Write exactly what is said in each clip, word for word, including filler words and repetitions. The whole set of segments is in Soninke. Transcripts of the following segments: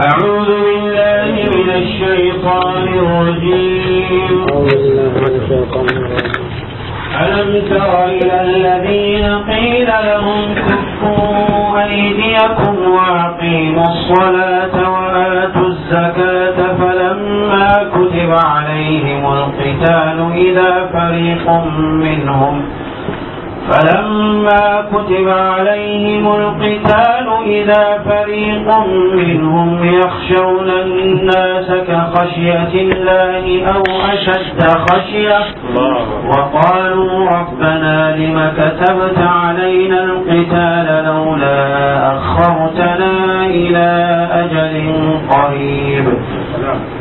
أعوذ بالله من الشيطان الرجيم. أعوذ بالله من الشيطان الرجيم. ألم تر إلى الذين قيل لهم كفوا أيديكم وأقيموا الصلاة وآتوا الزكاة فلما كتب عليهم القتال إذا فريق منهم فلما كتب عليهم القتال إذا فريق منهم يخشون الناس كخشية الله أو أشد خشية، وقالوا ربنا لم كتبت علينا القتال لولا أخرتنا إلى أجل قريب.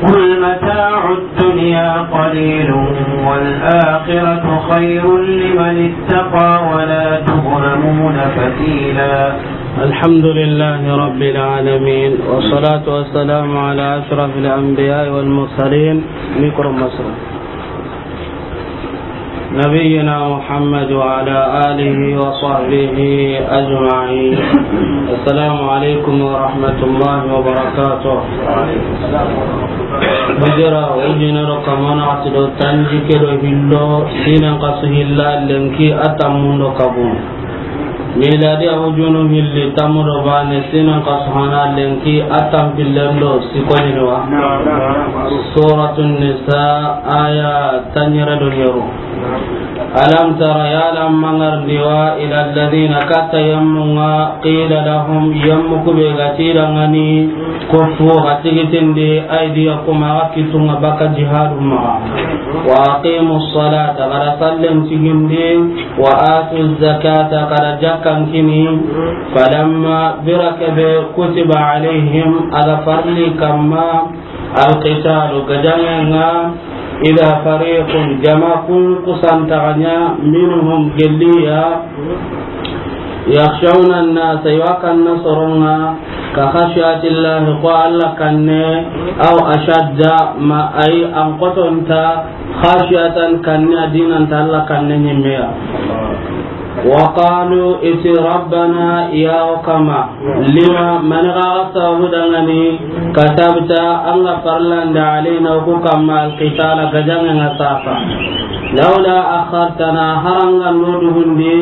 قل متاع الدنيا قليل والآخرة خير لمن اتقى ولا تظلمون فتيلا. الحمد لله رب العالمين، والصلاة والسلام على أشرف الأنبياء والمرسلين. ميكرو مصر. نبينا محمد وعلى آله وصحبه أجمعين. السلام عليكم ورحمة الله وبركاته. Hijira, ujine do kamana ati do tanjikke do hillo, sinan kasu hilla lenki a tammun do kabun. Miladi a ujunu hilli tammu do bane, sinan kasu hana lenki a tampillen do sikoni wa. Suratun Nisa, aya tanyere do nyeru. Alam tara, yala mangarndi wa, ila alladhina, katta yammunga, qila lahum, yammu kube ga ti dangani, kuffu, ga tigitindi, aydiyakum, aga kitunga baka jihadu maga. Wa aqimu salata, kada sallen tigindi, wa atu zakata, kada jakkan kini, falamma, bira kebe, kutiba alayhim, aga farli kamma, Alqitalu, gajangenga, ida fariqun, jama kun kusantaganya, minhum, gelliya, yakhshawna annasa, iwa kanna soronga, ka khashiyatillahi, ko Alla kanne, aw ashadda, ma ay an kotonta, khashiyatan, kanne, adinanta Alla kanne nyimmeya. Wa qalu, iti rabbana, ya okama, lima, mani ga sababu dangani, katabta, anga farlanda, alayna, ku kamma, alqitala, gajangenga sasa. Lawla akhartana, haranga no dugundi,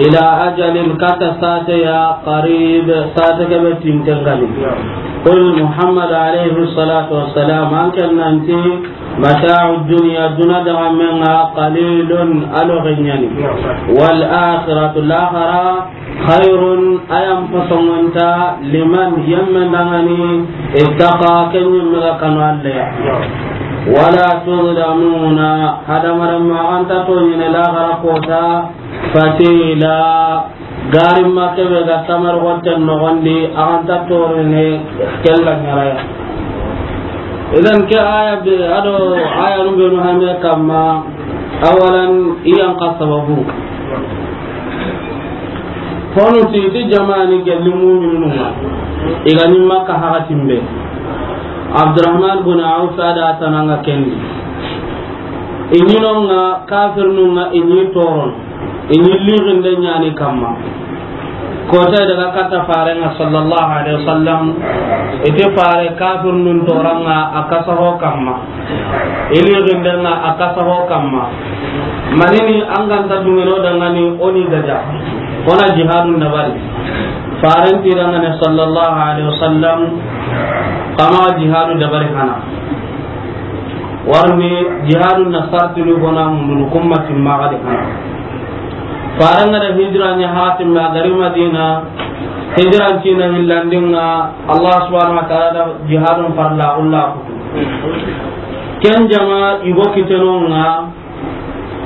ila ajalin, kata sate ya, qarib, sate kebe tintengani. Qul, Muhammad alayhi salatu wassalam, anke nanti, Mata'u dunya, duna dagamenga, qalilun, alo genyani. Wal akhiratu, lahara, khairun, ayam pasongonta, liman, yemmen dangani, ittaqa, kenyi mega kanu Alla ya. Wala tuzlamuna, hadamarenma anta tonyine lahara kota, fatila, Garimma kebe ga tamar watten nogondi, a ganta torene kella nyaraya. Idan ke aya be, ado aya nu be nu hame kamma, awalan iyan ka sababu. Honu ti ti jamani gelli mu'minununga. Igani Makka hakatimbe. Abdurrahman bin Auf ada tananga kendi. Ininonga kafirnunga ini toron. I ni lixinde ɲani kamma. Kota daga katta farenga sallallahu alaihi wasallam, ite fare kafirnun toranga a kasaho kamma. I lixindenga a kasaho kamma. Manini an ganta dungeno dangani o ni gaja. O na jihadun dabari. Faren ti dangane sallallahu alaihi wasallam, kama jihadu dabari hana. Warni jihadun na sartinu gona mundunu kumma timmaxa de hana. Faranga da hijra ɲa hatimme a gari Madina, hijran cina hillandinga, Allah subhanahu wa ta'ala da jihadun farla ulla kutu. Ken jama igo kitenonga,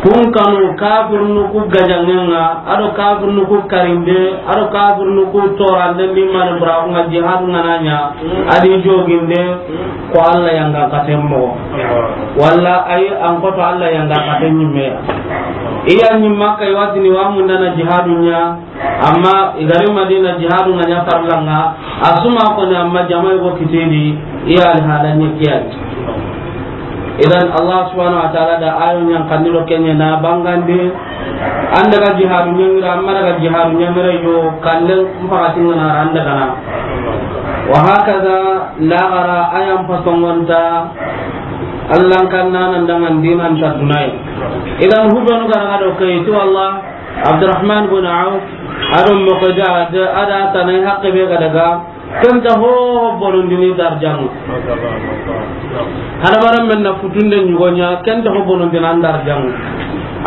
kun kanu kafirnu ku gajangenga, ado kafirnu ku karinde, ado kafirnu ku torande, limane burakunga jihadunga na ɲa, adi joginde, ko Allah yanga katen mogo. Walla ay an koto Allah yanga katen ɲimme. Iya ɲimma kay watini wa mundana jihadu ɲa, amma igari Madina jihadunga ɲa farlanga, asuma ko ni amma jamai go kitidi, iya alhala ɲi kiyai. Idan Allah subhanahu wa ta'ala da ayo ɲan kandiro kenye na bangande, an daga jihadu ɲangira, amma daga jihadu ɲangira yo, kallen mpakatinga na ran daga na. Wa hakaza, lagara ayan pasongonta, Allan kanna nan dangan dinan ta dunai. Idan hubenu gara do kai ti wallah, Abdurrahman bin Auf, ado Miqdad, ada tanai haqqe be ga daga, kenta ho bonondini darjang. Hada baram men na futunde nyugonya, kenta ho bonondina darjang.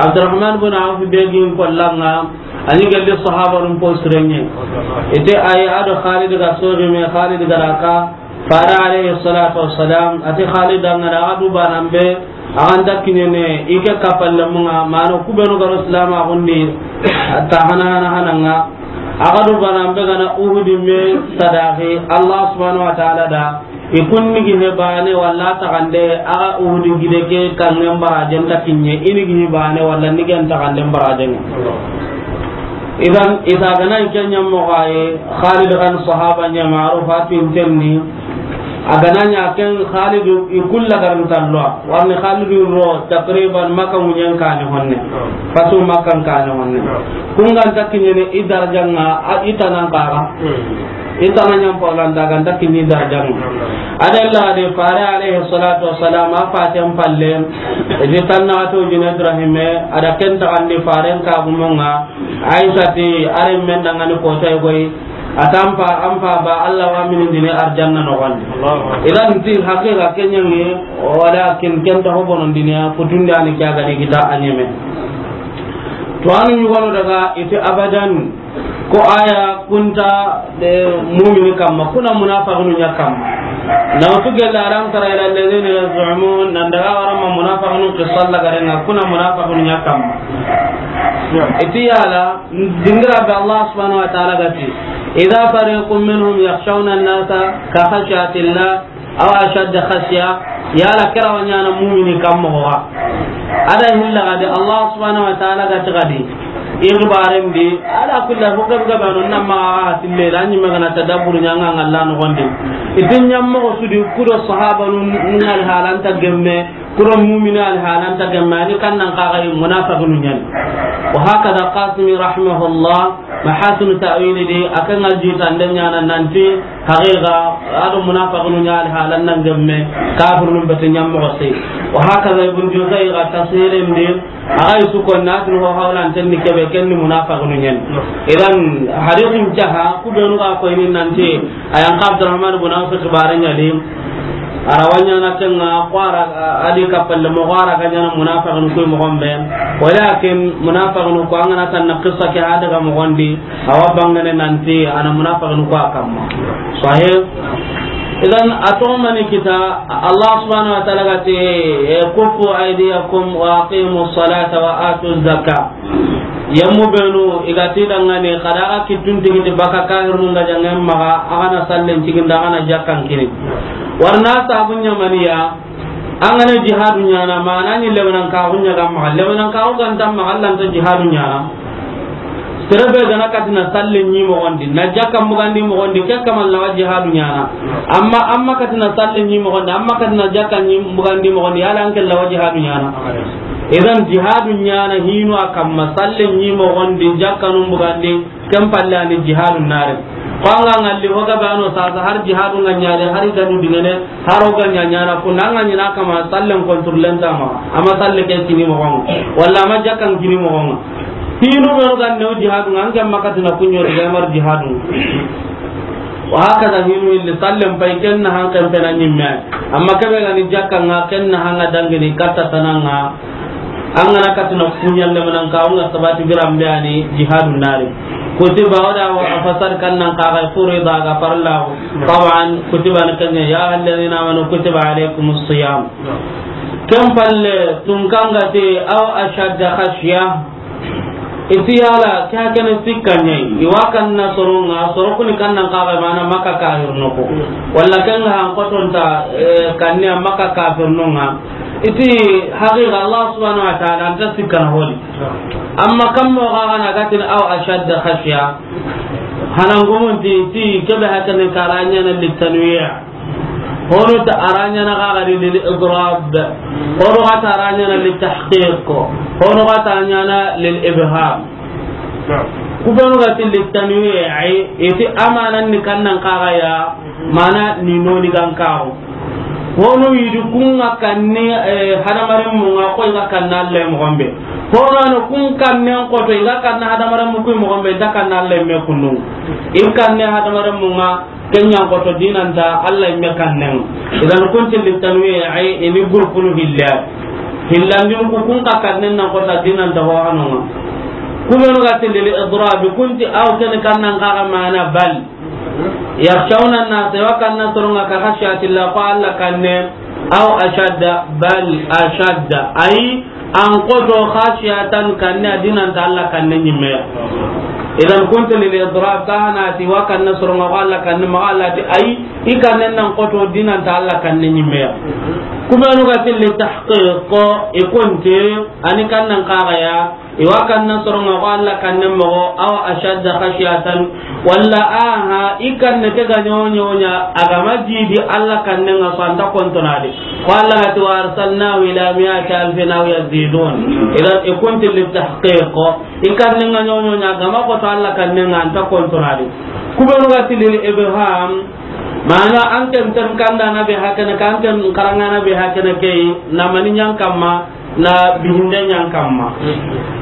Abdurrahman bin Auf be gin kollanga, ani galli sahaba nun po sirenye. Ite ay ado Khalid ga sogi me, Khalid ga raka, Fare alayhi salatu wassalam, ati Khalid an ga na a du banan be, a ga nta kiɲene, i ke kapalle munga, mano kubenu garo silama gundi, ta hana hana hananga. A ga du banan be ga na Uhudi me sadaqi, Allah subhanahu wa ta'ala da, i kunni gi he bane walla taxande, a ga Uhudi gide ke kangen barajen ta kiɲe, ini gi he bane walla ni gen taxanden barajen. Idan, ita gana i ke ɲammoxo aye, Khalid kan sahaba ɲa maruf, a tintenni, a gana ɲa ken Khalid i kulla garin talloa, warni Khalid ro takriban Makka ŋuɲen kane honne, fatu Makka kane honne. Kun ga nta kiɲene i darjanga, a i tanan kaga. I tana ɲam paulanta ga nta kiɲi darjanga. Adalla de Fare alayhi salatu wassalam, a faten palle, edi tanna to jine Ibrahime, ada ken taxandi Faren ka gumonga, Aisha ti, are men dangani kota e goy, atampa, ampa ba Allah wa mini dini arjanna no gon. Allahu Akbar. Idan ti haqiqa kenyangi, walakin ken ta hobono dunya, futundi ani kya gani kita anyeme. To anu nyugono daga, iti abadan, ko aya kunta de mumini kamma, kuna munafiqinu nya kamma. Na utu gella, alam tara ila alladhina yaz'umun, nan daga warama munafiqinu qissa la garenga, kuna munafiqinu nya kamma. Iti yala, dingira be Allah subhanahu wa ta'ala gati, idha fariqun minhum yakhshawna an-nasa ka khashyatillah, aw ashadda khashya, yala kira wa ɲana mumini kamma wa. Ada hilla gadi Allah subhanahu wa ta'ala gati gadi. Igbaren di, ala kulli hal, hukam gabano namma a tille, la ni magana tadabbur ɲanga ngalla no gonde. Itin ɲammo sudi kudo sahaba nun ngal halanta gemme, kuro mumina al halanta gemme, ani kannan kaga munafiqun ɲan. Wa hakada Qasimi rahimahullah, Mahasin Ta'wili di, akan aljita ndanyana nanti, haqiqa, ado munafiqun ɲa al halan nan gemme, kafirun bete ɲammo sey. Wa hakada Ibn Juzay ga tafsirin di, aga isu ko natin ho hawlan tenni kebe kenni munafiqun ɲan. Idan, hadisin jaha, kubenu ga ko ini nanti, Ayan ka Abdurrahman ibn Auf xibaare ɲa di, a ra wa ɲana kenga, ko a ra, a di kapalle moxo, a ra ga ɲana munafiqinu kuy moxon be. Walakin munafiqinu ko an ga na tanna qissa ke ha daga moxon di, a wa bangene nanti a na munafiqinu ko a kamma. Sahih. Idan a toxo mani kita, Allah subhanahu wa ta'ala ga ti, kuffu aydiyakum wa aqimu salata wa atu zaka. Yammu benu i ga ti dangani, xada ga kittun tigiti baka kahirnu nga jangen maxa, a ga na sallen tigindi, a ga na jakkan kini. Warna sabun ɲamaniya, an ga na jihadu ɲana, mana ni lebanan kaxu ɲaga maxa, lebanan kaxu ganta maxa, Alla nta jihadu ɲana. Sere be ga na katina sallen ɲi moxondi, na jakkan bugandi moxondi, ke kaman lawa jihadu ɲana. Amma, amma katina sallen ɲi moxondi, amma katina jakkan ɲi bugandi moxondi, yala an ke lawa jihadu ɲana. Idan jihadu ɲana hinu a kamma, sallen ɲi moxondi, jakkanun bugandi, ken palle ani jihadu nare. Ko an ga ngalli ho ga bano sasa har jihadu nga ɲare, har i ganu dingene, har o ga ɲa ɲana kunda, an ga ɲina kama sallen kontrollen tama, ama salle ke kini moxonga, walla ama jakkan kini moxonga. Hinu be o ga new jihadu nga, an ke makatina kunyo de mar jihadu. Wa hakaza hinu illi sallen pay ken na han kan pena ɲimme. Amma kebe ga ni jakka nga ken na hanga dangini katta tananga. An ga na katina kuɲa lemanan ka, an ga sabati birambe ani jihadu nari. Kutiba wada wa fasar kan nan ka ga furida ga farla. Taban kutiba ni kanya ya alladhina amanu kutiba alaykumus siyam. Ken palle tun kanga te aw ashadda khashya. Iti yala, ke hakene sikka ɲa yi. I wa kanna soronga, soro kuni kannan kaga mana Makka kafirnu ko. Walla kenga han kotonta, eh, kanne Makka kafirnunga. Iti haqiqa Allah subhanahu wa ta'ala anta sikka na holi. Amma kammo kaga na gatin aw ashadda khashya. Hanan gumunti, ti kebe hakene karanya na litanwiya. Hono ta a ra ɲana ga gari lil idrab. Hono ga ta a ra ɲana lil tahqiq. Hono ga ta a ɲana lil ibham. Ku benu ga ti littanwi'i, i ti amanan ni kannan kaga ya, mana ni noni gan kawo. Honu yidi kun ga kanni, eh, hadamarenmun ŋa, ko i ga kanna Alla moxon be. Hono no kun kannen xoto, i ga kanna hadamarenmu ku moxon be, i nta kanna Alla me kunnu. I kanne hadamarenmun ŋa, ken ɲa n xoto dinanta Alla me kannen. Idan kun ti littanwi'i, i ni gurpunu hilla. Hillandin ku kun ka kannen nan xoto dinanta ho hanonga. Ku benu ga ti lil idrabi, kun ti aw ken kannan kaga mana bal. Yakhshawna an-nas, i wa kanna soronga ka khashyatillah, ko Alla kanne, aw ashadda, bal ashadda, ay, an xoto khashyatan kanne, a dinanta Alla kanne ɲimmeya. Idan kun ti lil idrab, ka hana ti wa kanna soronga ko Alla kanne, maxa Alla ti ay, i kanne nan xoto dinanta Alla kanne ɲimmeya. Ku benu ga ti li tahqiq, i kun ti, ani kannan kaga ya, i wa kanna soronga ko Alla kanne moxo, aw ashadda khashyatan, walla aha, i kanne ke ga ɲoɲoɲa, a ga ma jidi Alla kanne ŋa so a nta kontonadi. Ko Alla ga ti wa arsalnahu ila mi'ati alfin aw yazidun. Idan i kun ti li tahqiq, i kanne ŋa ɲoɲoɲa, a ga ma xoto Alla kanne ŋa a nta kontonadi. Ku benu ga ti lil ibham, mana an ken ten kanda na be hakana, kan ken karanga na be hakana ke, na mani ɲan kamma, na bihinde ɲan kamma.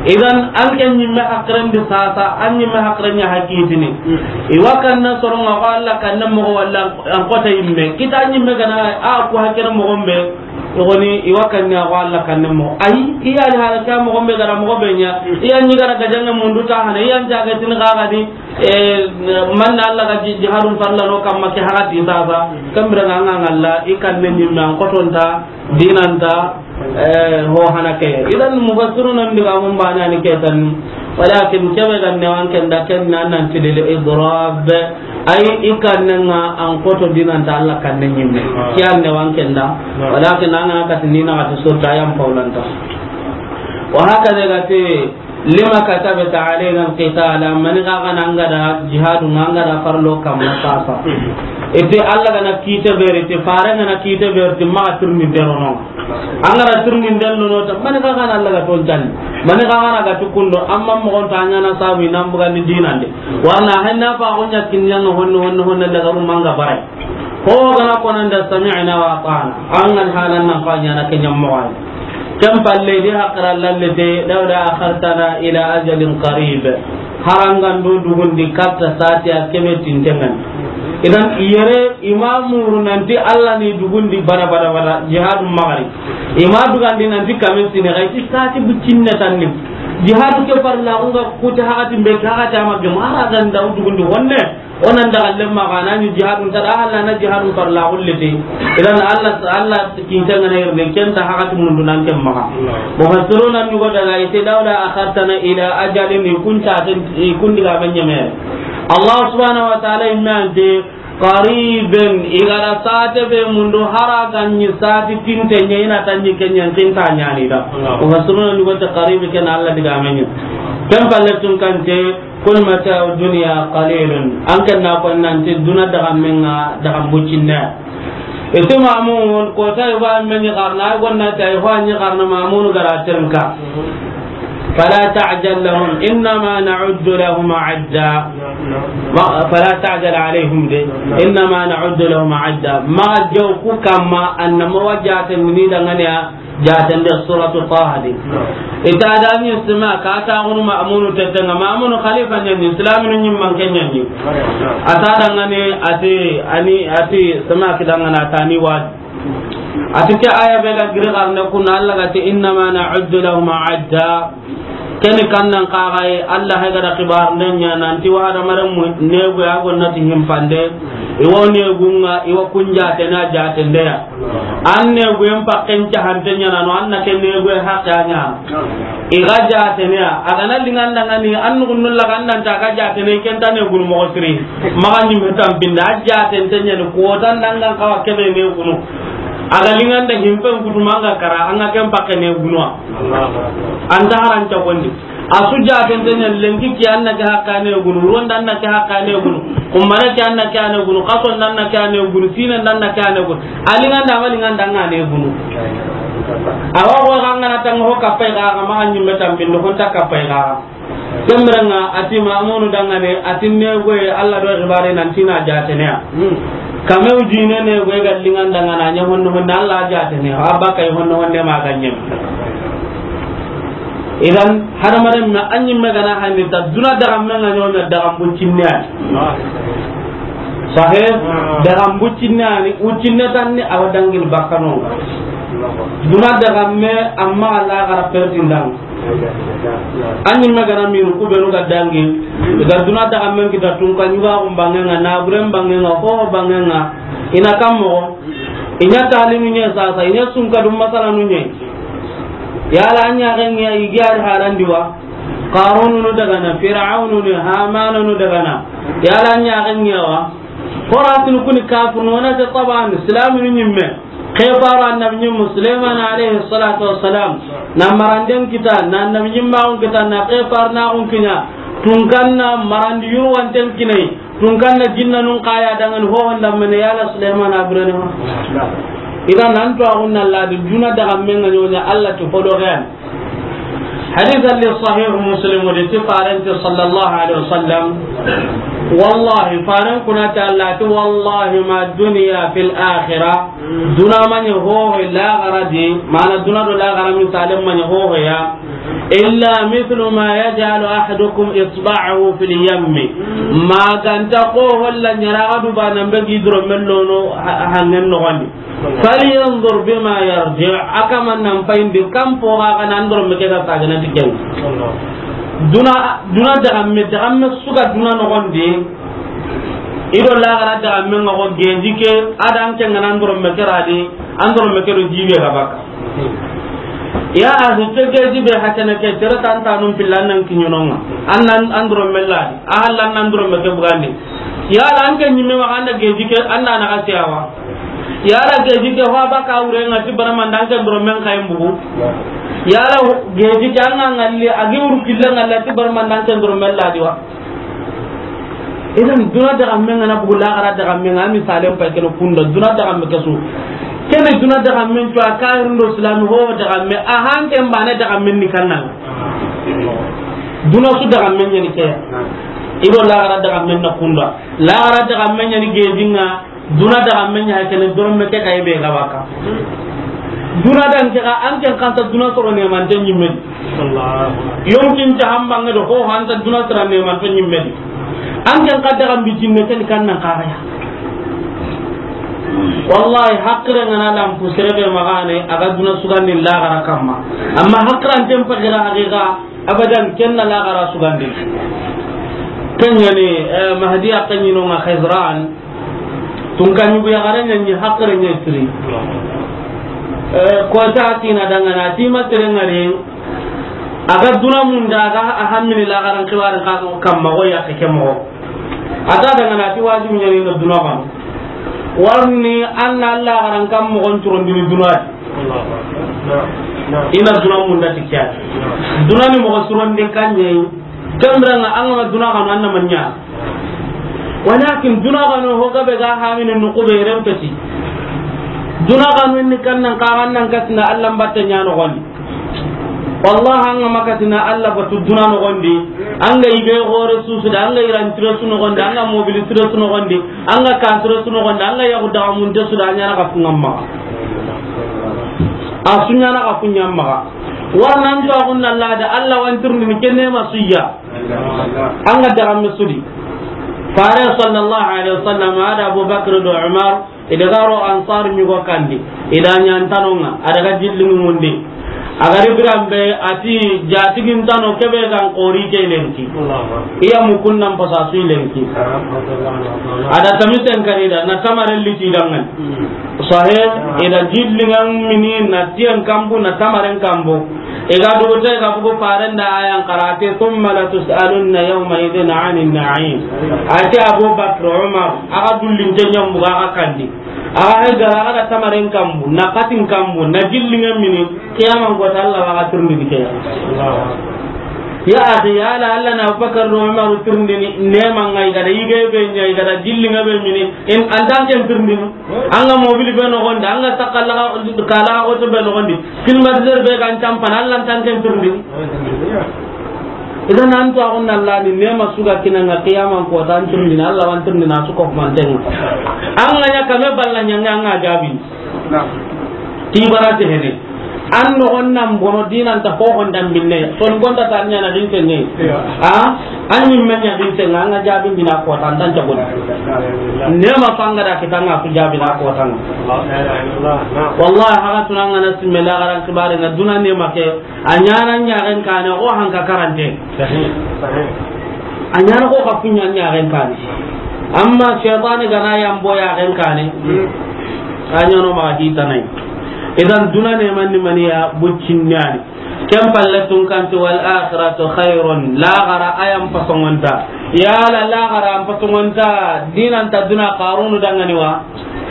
Idan an ken ɲimme hakiren di sasa, an ɲimme hakiren ɲa hakitini. I wa kanna soronga ko Alla kanne moxo walla an xota yimme. Kita ɲimme gana a ku hakiren moxon be, i goni i wa kanne ko Alla kanne moxo. Ay, i ya ni hala ka moxon be gara moxo be ɲa. I ya ni gara gajange mundu ta hana, i ya ni jaga tin kaga di, eh, man Alla ga ji-, jihadun farla no kamma ke hagati sasa. Kambira nga nga Alla, i kanne ɲimme an xotonta dinanta, eh, ho hana ke. Idan mufassiruna ndiga mun bana ni ke tan. Walakin kebe ganne wan ken da ken nan nan ti lil idrab. Ay, i kanne nga an xoto dinanta Alla kanne ɲimme. Kiyanne wan ken da. Walakin an ga na katini na kati surta yan paulanta. Wa hakaza ga ti, lima katabta alayna alqitala, mani ga ga na an ga da jihadu, an ga da farlo kamma sasa. Ite Alla ga na kite beri, ite fare ga na kite beri, ite maxa tirni derono. An ga da tirni derono ta, mani ga ga na Alla ga ton tan. Mani ga ga na ga tukundo, amma moxon ta ɲana sabu nan buga ni dinande. Warna hanna fa gonya kinyanga honno, honno, honno daga rumanga barai. Ho gana konanda sami'na wa ata'na. An ga halan nan fa ɲana kenya moxon. Ken palle di hakara lallete, lawla akhartana ila ajalin qarib. Harangan do dugundi katta sati a kebe tintengan. Idan yere imamu nanti Alla ni dugundi bada bada bada jihadu magari. Ima dugandi nanti kamen sine ga ti sati bucinne tanni. Jihadu ke farla unga kuti hagati be hagati ama gemara dan da dugundi wonne. Onan daga lemma ga nani jihadun ta da, Alla na jihadun farla gullete. Idan Alla, Alla kinta ngana irne kenta hagati mundu nan kemma. Mufassiruna ni go daga ite lawla akhartana ila ajalin, i kunta ten, i kundi ga banyame. Allah subhanahu wa ta'ala imante qariben, igara sate be mundu hara ganni sati tinte nyina tanni kenyan kinta nyani da. Mufassiruna ni go ta qaribe ken Alla diga menye. Ken palle tun kante Qul mata'u dunya qalilun. An kan na ko nanti duna daga menga daga bucinna. Ite Mamun, ko ta iwa men garna, gonna ta iwa ni garna Mamun gara tirnka. Fala ta'jal lahum, innama na'uddu lahum adda. Ma, fala ta'jal alayhim de. Innama na'uddu lahum adda. Ma jaw ku kamma annama wajata ni dangane ya. Jatende suratu Taha di. Ita da ni sima ka ta gunu Ma'munu tetenga. Ma'munu khalifa nyani, Islaminu nyimman ke nyani. Ata dangane ati, ani, ati sima ki dangana tani wa. Ati ke aya be ga giri garne kuna Alla ga ti, "Innama na'uddu lahum adda." Keni kannan kaxaye, Alla hay gada xibar nden ña nanti wa hadamaren mu negu ya gonnati himpande, iwo negunga, iwo kun jatene a jatendeya. An neguyen pakken cahante ñanano, an na ke neguye haqe a ñana. Iga jateneya, a gana lingandangani, an nugunnu laga an nanta ga jatene, kenta negunu moxo siri. Maxa ñimme tampinde, a jatente ñani, kotan dangan xawa kebe negunu. A ga linganda himpen kutuma anga kara, anga ken pakke negunuwa. Anta haranca gondi. A su jatente ña lenki ke an na ke haqqe a negunu, wuronda an na ke haqqe a negunu, xumbane ke an na ke a negunu, xasonda an na ke a negunu, sinenda an na ke a negunu. A linganda, a ma linganda anga negunu. Awa xo xa ngana tanga ho kappay xa, xa maxa ñimme tampindi, honta kappay xa. Ken biren ŋa a ti Mamunu danŋa ne, a ti negoye Alla do xibaare nan ti na jaatene ya. Kame wujine negoye ga linŋa n danŋa na ɲa honne honne Alla jaatene ya, a baka yi honne honne ma ga ɲeme. Idan, hadamaren me, a ɲimme ga na handi ta, duna daga me ŋa ɲoɲa daga bucinne ya. Sahe, daga bucinne ya ni, wucinne tan ni, a wa dangini bakano. Duna daga me, amma Alla ga ra pertindan. A ɲimme ga na minu ku benu ga dangi, i ga duna daga me kita tunka ɲuga xun banŋe ŋa, na buren banŋe ŋa, ho banŋe ŋa, i na kam moxo. I ɲa talinu ɲa sasa, i ɲa sunka dum masalanu ɲa. Yala a ɲa ga ɲa i ga ri harandi wa? Qarunu nu daga na, Firawunu ni, Hamanu nu daga na. Yala a ɲa ga ɲa wa? Horatinu kuni kafirunu, wona ke taban, Islaminu ɲimme. Ke faru annabi ɲimmu, Suleymana alayhi salatu wassalam. Na maranden kita, na annabi ɲimmaxun kita, na ke faru naxun kiɲa. Tunkanna marandi yurwanten kinai. Tunkanna jinnanun kaya dangan hohon dammene yala Suleymana birene ma. Idan nan to axun na ladi duna daga me ŋa ɲoɲa Alla ti hodo xeyan. Hadith li Sahih Muslim di ti faren ti sallallahu alaihi wasallam. Wallahi, faren kuna ti Alla ti, wallahi ma dunya fil akhirah. Duna ma ɲa hoho laxara di, mana duna do laxara misalen ma ɲa hoho ya. Illa mithlu ma yaj'alu ahadukum isba'ahu fil yammi. Ma ganta ko holla ɲaraga du bana be gi doro mellono ha-, hangen no wani. Falyanzur bima yarji, a kaman nan payindi, kam po ga ga nan doro me ke ga sagana ti ken. Duna, duna daga me, daga me su ga duna noxon di. I do laxara daga me ŋa xo geji ke, a da an ke ŋa nan doro me ke ra di, an doro me ke do jibe ga baka. Ya axi, ke geji be hakene ke, tere tantanun pilla nan kiɲono ŋa. An nan, an doro me la di, a hallan nan doro me ke bugandi. Yala an ke ɲimme ma an da geji ke, an da na ga siyawa. Yala geji ke ho baka wure ŋa ti barama nda an ke doro men kayin bugu. Yala geji ke an ŋa ŋalli, a gi wuru killa ŋalla ti barama nda an ke doro men la di wa. Idan duna daga me ŋa na bugu laxara daga me ŋa, a misalen pay kene kunda duna daga me ke su. Kene duna daga me to a kahirin do Islami ho daga me a hanke mbane daga me ni kanna. Duna su daga me ɲa ni ke. I do laxara daga me na kunda. Laxara daga me ɲa ni geji ŋa. Duna daga me ɲa kene doro me ke kay be ga baka. Duna dan ke ga an ken kanta duna soro ne man tan ɲimme. Yonkin ta hamba ŋa do ho hanta duna soro ne man tan ɲimme. An ken ka daga bi jinne ken kan nan kara ya. Wallahi, hakre ŋa na lampu sere be magane, a ga duna sugandi laxara kamma. Amma hakran tem pagira haqiqa, abadan ken na laxara sugandi. Ken ɲa ni, eh, Mahdi a ken ɲi no ŋa Khizran. Tunka ɲugu yaxare ɲa ni hakre ɲa siri. Eh, ko ta kina dangana, ti ma sere ŋari. A ga duna munda, a ga a hammini laxaran xibarin ka kamma, go yaxe ke moxo. A ta dangana ti wajibi ɲa ni na duna kanu. Warni an na laxaran kam moxon turondini duna di. I na duna munda ti ke ya. Duna ni moxo surondi kan ɲa yi. Kembira ŋa an ga ma duna kanu an na ma ɲa. Walakin duna kanu ho gabe ga hamini nuku be rempeti. Duna kanu ni kan nan ka an nan katina Alla mbatte ɲa noxon di. Wallahi, an ga ma katina Alla batu duna noxon di, an ga yige xore susu da, an ga iran tire su noxon di, an ga mobili tire su noxon di, an ga kasire su noxon di, an ga yaxu daga munte su da, a ɲa na ka funga maxa. A su ɲa na ka funga maxa. Warnan to axun na lada Alla wa an tirindini kenne ma su ya. An ga daga me su di. Fare sallallahu alaihi wasallam a da Abu Bakr do Umar, i daga ro Ansar ɲugo kandi, i da ɲa ntano ŋa, a daga jilli ŋundi. A ga ri biran be, a ti, jatigi ntano kebe gan xori ke lenki. Iya mukunnan pasa su lenki. A da tamisen kari da, na tamaren liti dangan. Sahe, i da jilli ŋa mini, na tiyan kambu, na tamaren kambu. I ga dugu te ga bugu faren da ayan xara ti, "Thumma latus'alunna yawma idhin 'anin na'im." A ti Abu Bakr, Umar, a ga dullin te ɲambu ga kandi. A ga hay gara, a ga da tamaren kambu, na katin kambu, na jilli ŋa mini, kiyaman ko ta Alla wa ga tirindini ke ya. Ya axi, ya la Alla na Abu Bakr do Umar tirindini, ne man ŋa i ga da yige be ɲa, i ga da jilli ŋa be mini, in an tan ken tirindini. An ga mobili be noxon di, an ga sakalla kala oto be noxon di, climatiseur be ga an campana, Alla an tan ken tirindini. Idan an to agun Allah ni nema su ga kinanga qiyaman ko tan tirindini, Allah wa an tirindini a su ko mantenga. An ga ɲa kame balla ɲanga an ga jaabi. Ti bara te hene. An no onna mbono dinan ta ho hon dambinne. Son gonda tan ɲa na dinke ne. A? An ni men ɲa dinke nga an ga jaabindini a ko tan tan jagon. Nema fanga da kitanga su jaabini a ko tan. Wallahi, haga tunanga na simme laaxara xibaare nga duna nema ke. A ɲaana ɲaxen kaane, o hanka karante. Sahih, sahih. A ɲaana ko ka kuɲa ɲaxen kaane. Amma shaytani gana yambo yaxen kaane. Hmm. A ɲaano ma hitanay. Idan duna ne manni maniya buccinnani. Ken palle tunkanti wal akhiratu khairun. Laaxara a yan pasongonta. Yala laaxara an pasongonta. Dinanta duna Qarunu dangani wa.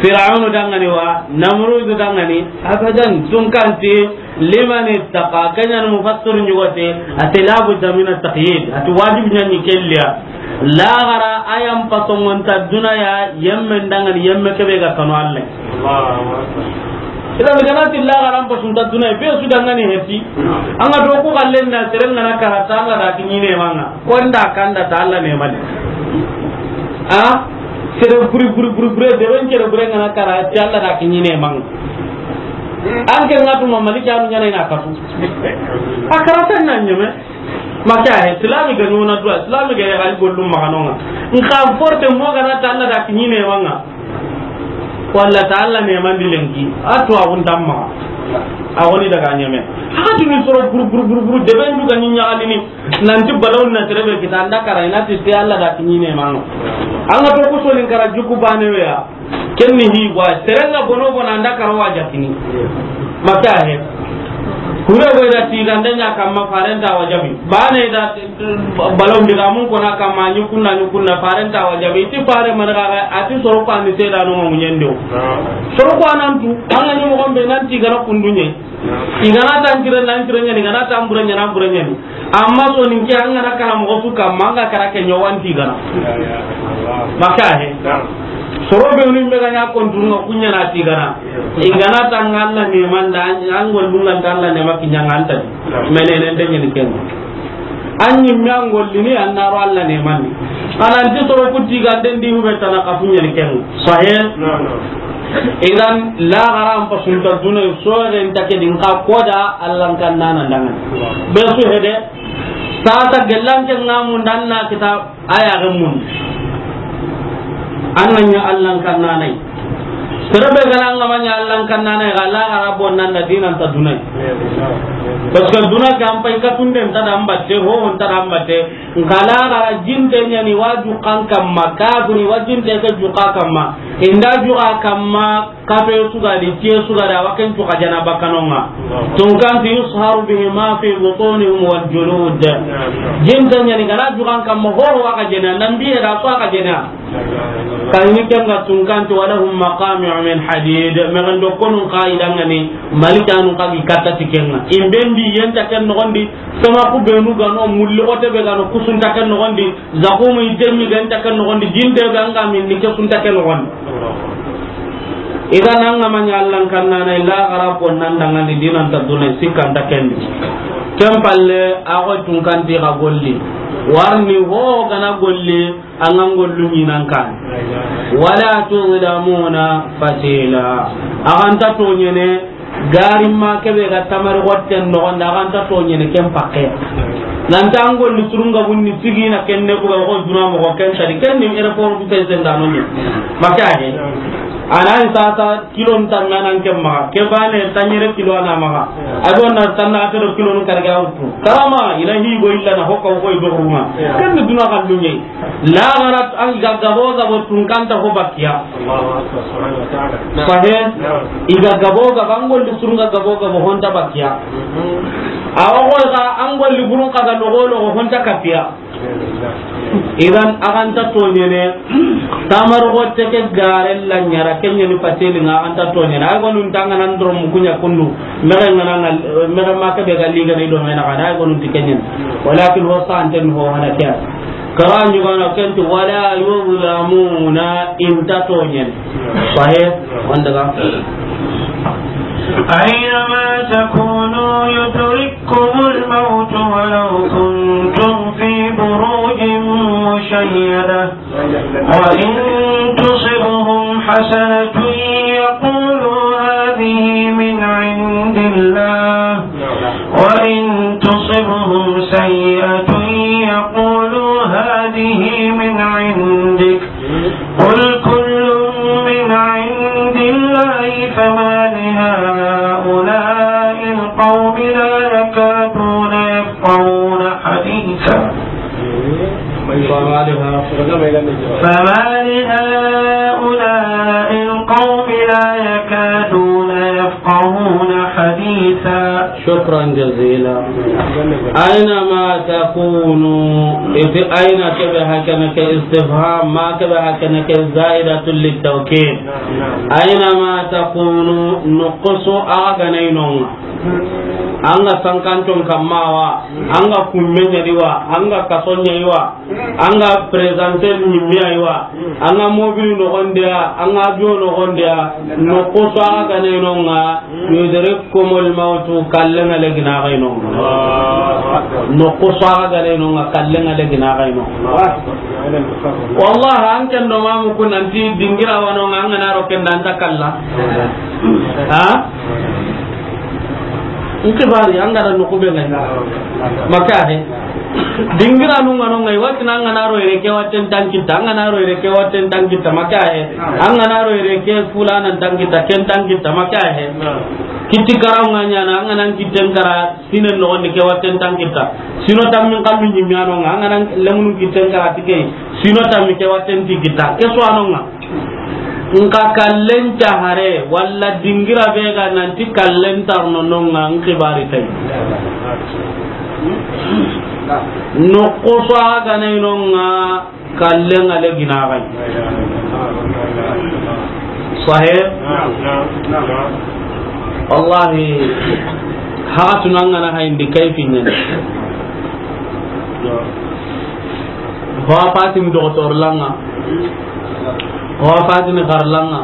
Fir'aunu dangani wa. Namrudu dangani. Abadan tunkanti. Liman ittaqa, keɲan mufassir ɲugote, ate labudda min at-taqyid, ate wajib ɲani kelliya. Laaxara a yan pasongonta duna ya, yemme ndangani, yemme kebe ga kanu Allah. Allahu Akbar. Idan ganati laaxara an pasunta duna ya, be su dangani heti. An ga do ku kallen na seren ngana karata Allah da kiɲine manga. Konda kanda ta Allah ne mali. A? Sere buri, buri, buri, buri, de ben sere buri ngana karata Allah da kiɲine manga. An ke nga tuma Maliki anu ɲana ina kafu. A karata na ɲeme. Maka he, Islami ga ɲona duwa, Islami ga ya gali gollum maganonga. Nka forte mo gana ta Allah da kiɲine manga. Walla ta Allah ne mandi lenki. A to abun tamma. A woni daga ɲeme. Haka tuni soro buru, buru, buru, buru, de ben du ga ɲi ɲagalini. Nanti balawun na terebe kita anda kara ina ti te Allah da kiɲine manga. An ga to kusoni kara juku bane we ya. Kenni hi wa, serenga bono bono anda karo wa jakini. Maka he. Kure go da ti ganda nya kamma farenta wa jabi. Bane da balon diga mun kona kamma ni kunna ni kunna farenta wa jabi. Ti fare man ga ati soro ko ani seda no mo nyendo. Soro ko anantu, anga ni mo gombe nan ti gana kundunye. Igana tan kire nan kire nya ni gana tan bure nya nan bure nya ni. Amma so nin ke an gana kara moxo su kamma, an ga kara ke ɲowanti gana. Maka he. Soro be ni mega ɲa kontu nga kuɲa na ti gana. Igana tanga Allah ne manda, an gollunga ta Allah ne maki ɲanga anta. Menene nde ɲeni ken. An ni me an gollini an naro Allah ne mandi. Ananti soro kuti ganden di hube tana ka kuɲa ni ken. Sahe. Idan laaxara an pasunta duna so ren take din ka koda Allah kan nana dangan. Be su hede. Sasa gellanke nga mun dan na kita aya ga mun. An na ɲa Allah kan nanai. Sere be gana nga ma ɲa Allah kan nanai ga laaxara bon nan da dinanta dunai. Parce que duna ke an pay ka tunden ta da ambatte ho on ta da ambatte. Nga laaxara jinte ɲani waju kan kamma kafiri wajinte ke juka kamma. Inda juka kamma. Kafe sugadi, tiye sugadi, a wa ken cuka jana bakanonga. Tunkanti yusharu bihi ma fi butunihim wal julud. Jinta ɲani gana jukan kamma horo wa ka jena, nan biye da so ka jena. Kayini kenga tunkanti walahum maqami'u min hadid. Megen do konun ka idangani, malikanu ka gi katta ti kenga. Imbendi yenta ken nogondi, sama ku benu gano, mulli ote be gano, kusunta ken nogondi, zakumu idemi ganta ken nogondi, jinte be anga min ni kesunta ken nogondi. Idan an ga ma ɲa Allah kan nana illa gara ko nan dangani dinanta duna sikkanta kendi. Ken palle a go tunkanti ga golli. Warni ho gana golli an ga gollu ɲinan kan. Wala tuzlamuna fatila. Aganta toɲene. Gari ma kebe ga tamari gotten nogondi, a ganta toɲene ken pakke. Nanta an golli surunga bunni sigina kenne buga ko duna mogo ken tadi, ken ni airport bu ken sendano ni. Maka he. Anan sasa kilo nta manan ken maga. Ke bane tanyere kilo ana maga. Ado na tanna atero kilo nun karga utu. Karama ina hi go illa na hokka ko do ruma. Ken ni duna kan dunye. Lagara an ga gabo gabo tunkanta ho bakkiya. Allahu Akbar, subhanahu wa ta'ala. Sahe, i ga gabo gabo, an golli surunga gabo gabo honta bakkiya. Awa ko ga an golli burun kaga logo logo honta kapiya. Idan aganta toɲene, tamar gotte ke gare la ɲara kenyeni pateli nga aganta toɲene. Ay gonun tanga nan doro mukunya kundu. Mege ngana ngal, mege ma ke be ga liga ni do mena kana, ay gonun ti kenyen. Walakin ho santen ho hana kya. Kara ɲugana kenti wala yuzlamuna, inta toɲen. Sahe, wanda ga. أينما تكونوا يدرككم الموت ولو كنتم وإن تصبهم حسنة يقولوا هذه من عند الله، وإن تصبهم سيئة يقولوا هذه من عندك، قل كل من عند الله، فما لهؤلاء القوم لا يكادون يفقهون حديثا. فما لها-، فما لهؤلاء القوم لا يكادون يفقهون حديثا. شكرا جزيلا. أينما تكونوا، إذ أين كبه كنك استفهام، ما كبه كنك زائدة للتوكيد. أينما تكونوا، نقصوا أغنينهم. An ga sankanton kamma wa, an ga kummen ɲa di wa, an ga kason ɲa yi wa, an ga présenter ɲimme yi wa, an ga mobili noxon di ya, an ga avion noxon di ya, noqu su a ga ne no ŋa, yudrikkumul mawtu, kallen ŋa le gina xa yi no ŋa. Noqu su a ga ne no ŋa, kallen ŋa le gina xa yi no ŋa. Wallahi, an ken do mamu kun nanti dingira wa no ŋa, an ga na ro ken da an ta kalla. Ha? N xibari, an ga da noqu be ŋa yi. Maka he. Dingiranu ŋa no ŋa yi, wati na an ga na ro yere ke watten ta n kita, an ga na ro yere ke watten ta n kita, maka he. An ga na ro yere ke fulanan ta n kita, ken ta n kita, maka he. Kitti karaw ŋa ɲaana, an ga na kitten kara sinen noxon di ke watten ta n kita. Sino tammin kallu ɲimme a no ŋa, an ga na lemunu kitten kara ti ke. Sino tammi ke watten ti kita. Ke su a no ŋa. Nka kallen cahare, walla dingira be ga nanti kallen tarno no ŋa, n xibari tay. Noqu su a ga ne no ŋa, kallen ŋa le gina xa yi. Sahih? Wallahi, haxatunu an ga na hayindi kayfi ɲa ni. Ho a fatini doxotor la ŋa, ho a fatini xar la ŋa,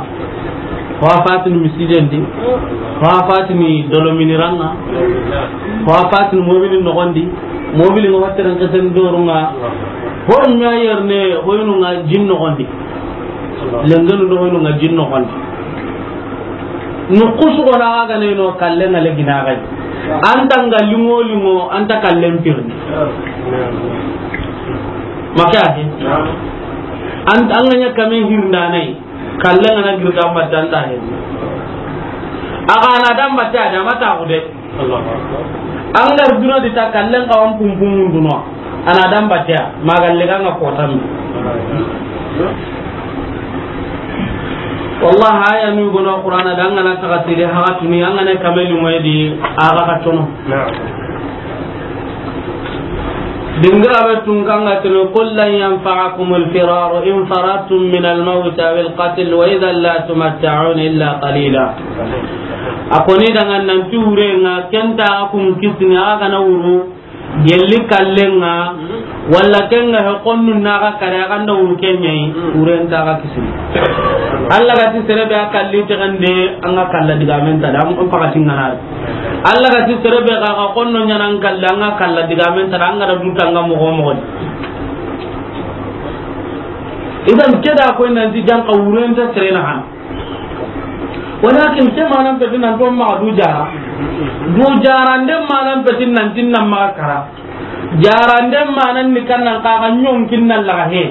ho a fatini misiden di, ho a fatini dolomini ra ŋa, ho a fatini mobili noxon di, mobili ŋa watteren xesen doru ŋa, ho ɲa yerne hoyinu ŋa jin noxon di. Lengenu do hoyinu ŋa jin noxon di. Noqu su go na a ga ne no, kallen ŋa le gina xa yi. An ta ŋa liŋo liŋo, an ta kallen pirni. Maka he. An, an ga ɲa kame hirnda na yi. Kallen ŋa na girta an batte an ta he. A ga na da an batte a da ma ta xude. An ga ri duna di ta, kallen xawan pumpum munduno. A na da an batte a, ma galle ga ŋa kotan. Wallahi, aya nu gono Qur'ana da, an ga na taxatiri haxatuni, an ga na kameli moyedi, a ga ka tono. Dingira be tun kan ga tunu, "Qul lan yanfa'akumul firaru in farattum minal mawti awil qatl wa idhan la tumatta'una illa qalila." A koni daga nanti wure ŋa, ken ta kun kisini, a ga na wuru, gelli kallen ŋa, walla ken ŋa he konnu na ga kare, a ga nda wuru ken ɲa yi, wure nta ga kisini. Allah ga ti sere be a kalli te gande, an ga kalla digamen ta da, an pakati ŋa na. Allah ga ti sere be ga ga konno ɲaana an kalla, an ga kalla digamen ta, an ga da du tanga moxo moxo. Idan ke da ko nanti janka wurenta sere na han. Walakin ke manan peti nan to ma du jara. Du jara nde manan peti nan tin nan ma kara. Jarande manan ni kannan kaga ɲonkin na laga he.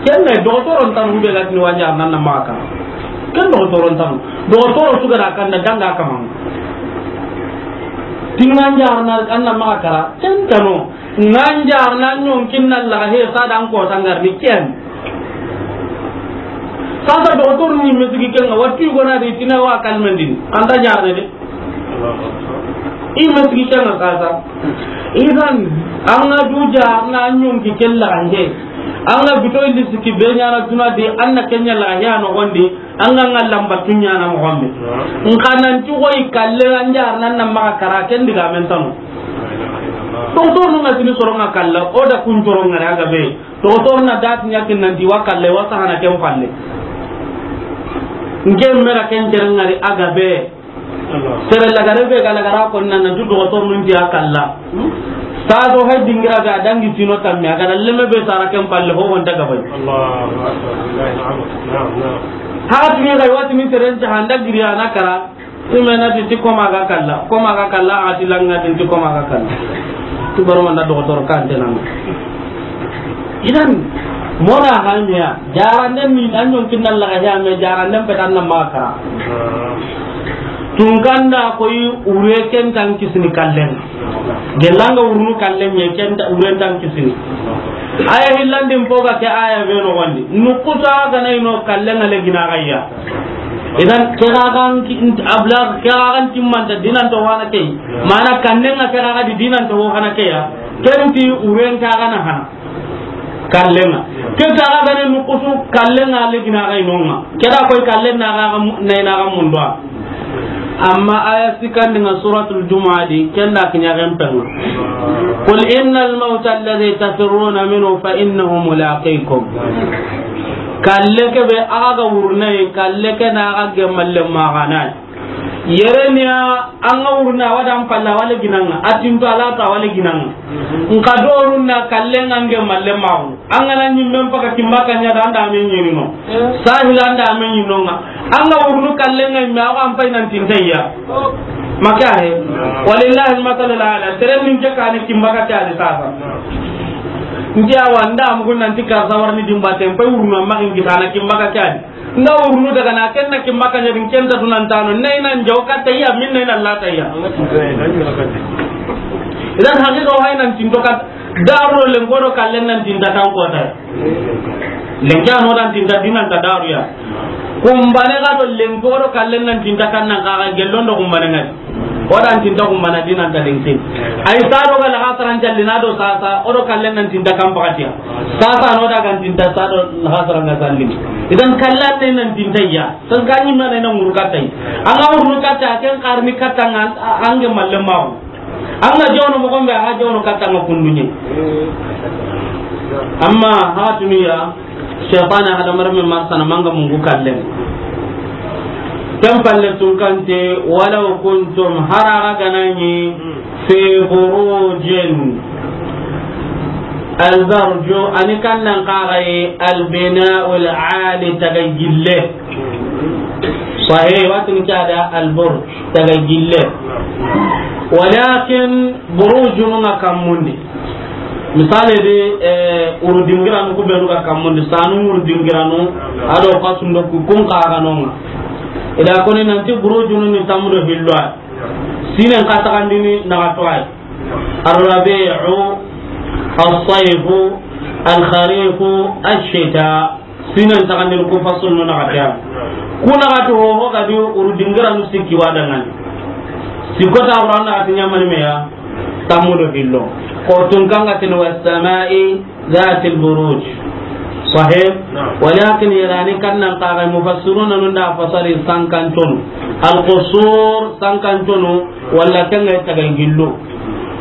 Ken ne doxotoron tanu be ga tini wa jarana na maxa kara. Ken doxotoron tanu. Doxotoro su ga da kanda danga kaman. Tinga jarana an na maxa kara. Ken tano. Nga jarana ɲonkin na laga he sa dan ko tangar ni ken. Sasa doxotoru ni mesigi kenga, watti gona de tina wa kalmendini. Anta jarne de. I mesigi kenga sasa. Idan, an ga du jarana ɲonki kella ande. An ga bito indi siki be ɲaana duna de, an na kenya la ya no gondi, an ga nga lamba tunya na mo gombe. Nkanan ti goy kalle an jarana na maxa kara ken digamen tanu. Doxotoru nga tini soronga kalla, o da kun soronga ga be. Doxotoru na dati ɲakin nanti wa kalle, wa sahana ken falle. Nke mera ken jerengari a ga be. Sere lagare be ga lagara ko nan nanti doxotoru nun ti a kalla. Sa do hay dingira be a dangi tino tamme, a ga da lemme be sara ken palle ho wonta gabay. Allahu akbar. Naam, naam. Haka tini ga wati ni teren ta handa giri a na kara. Ime na ti, ti koma ga kalla, koma ga kalla, a ti langa ti, ti koma ga kalla. Tu baro manda dogotor kan tenan. Idan, mona hamiya, jaranden ni, an jon kinna laga ya me, jaranden petan na maka. Tunkanda koy ure ken tan kisini kallen. Gelanga urunu kallen ye ken ta, uren tan kisini. Aya hillandin poga ke aya be no wandi. Nukuta ga na ino kallen ale gina gayya. Idan, ke ga gan ki, abla, ke ga gan timmanta dinan to wana ke. Mana kannen ga ke ga di dinan to hana ke ya. Ken ti uren ta ga na hana. Kallen ga. Ke ta ga ne nukusu kallen ga le gina ga inonga. Ke da koy kallen na ga mu-, na ina ga mundo. Amma aya sikandi nga suratul Jumu'a di, ken da kinya gen pen. Qul innal mawta alladhi tafirruna minhu fa innahu mulaqikum. Kalle ke be aga wurne, kalle ke na aga gemalle magana. Yerenia anga wurna wada ampalla wale ginanga, atinto alata wale ginanga. Nka dorunna kalle ngange malle mawu. Angana nyimmen paka kimbaka nya da anda men nyirino. Sahila anda men nyinonga. Anga wurnu kalle ngai me awa ampai nan tintayya. Maka he. Walillahi almasalu ala. Teren ninke kane kimbaka kya di sasa. Nti awa nda amugun nanti karsa warni dimbate mpai wurnu amma ngi kana kimbaka kya di. Nda wurnu daga na ken na kimbaka nya din ken ta dunan tano. Nai nan jaw katayya min nai nan latayya. Idan haqiqa wa nan tinto kat. Daru lenko do kallen nan tinta kan kota. Lenki ano dan tinta dinan ta daru ya. Kumbane ga do lenko do kallen nan tinta kan nan kaga gellon do kumbane ngai. O dan tinta kumbana dinan ta lenki. Ay sado ga la hasaran jallina do sasa o do kallen nan tinta kan pakatiya. Sasa no da kan tinta sado la hasaran ga sallini. Idan kallan ne nan tinta ya. Tan gani mana nan murkatai. Anga urnu kata ken karni kata ngan ange malle mawu. An ga jawno mogon be, a ga jawno katta nga kundunye. Amma hatuniya, shaytana hada marme marsana manga mungu kallen. Kan palle tun kante, walaw kuntum haraga ganani fi burujin. Al-burju, ani kannan kagai al-bina'ul ali taga gille. Sahih, watin kada al-burj, taga gille. Walakin burujunu nga kammundi. Misali di, eh, uru dingiranu ku benu ga kammundi, sanu uru dingiranu, ado kasundo ku kun kaganonga. Ida koni nanti burujunu ni tamudo hilwa. Sinen katagandini na katwai. Ar-rabi'u, as-sayfu, al-kharifu, ash-shita. Sinan taxandini ku fasul no naxati ya. Ku naxati ho ho ga di uru dingiranu sikki wa dangani. Sikko ta Qur'an naxati ɲamani me ya. Tammu do hillo. Ko tun kanga tin was sama'i zatil buruj. Sahih. Walakin yarani kannan kaga mufassiruna nun da fasari sankan tonu. Al qusur sankan tonu. Walla kanga taga gillu.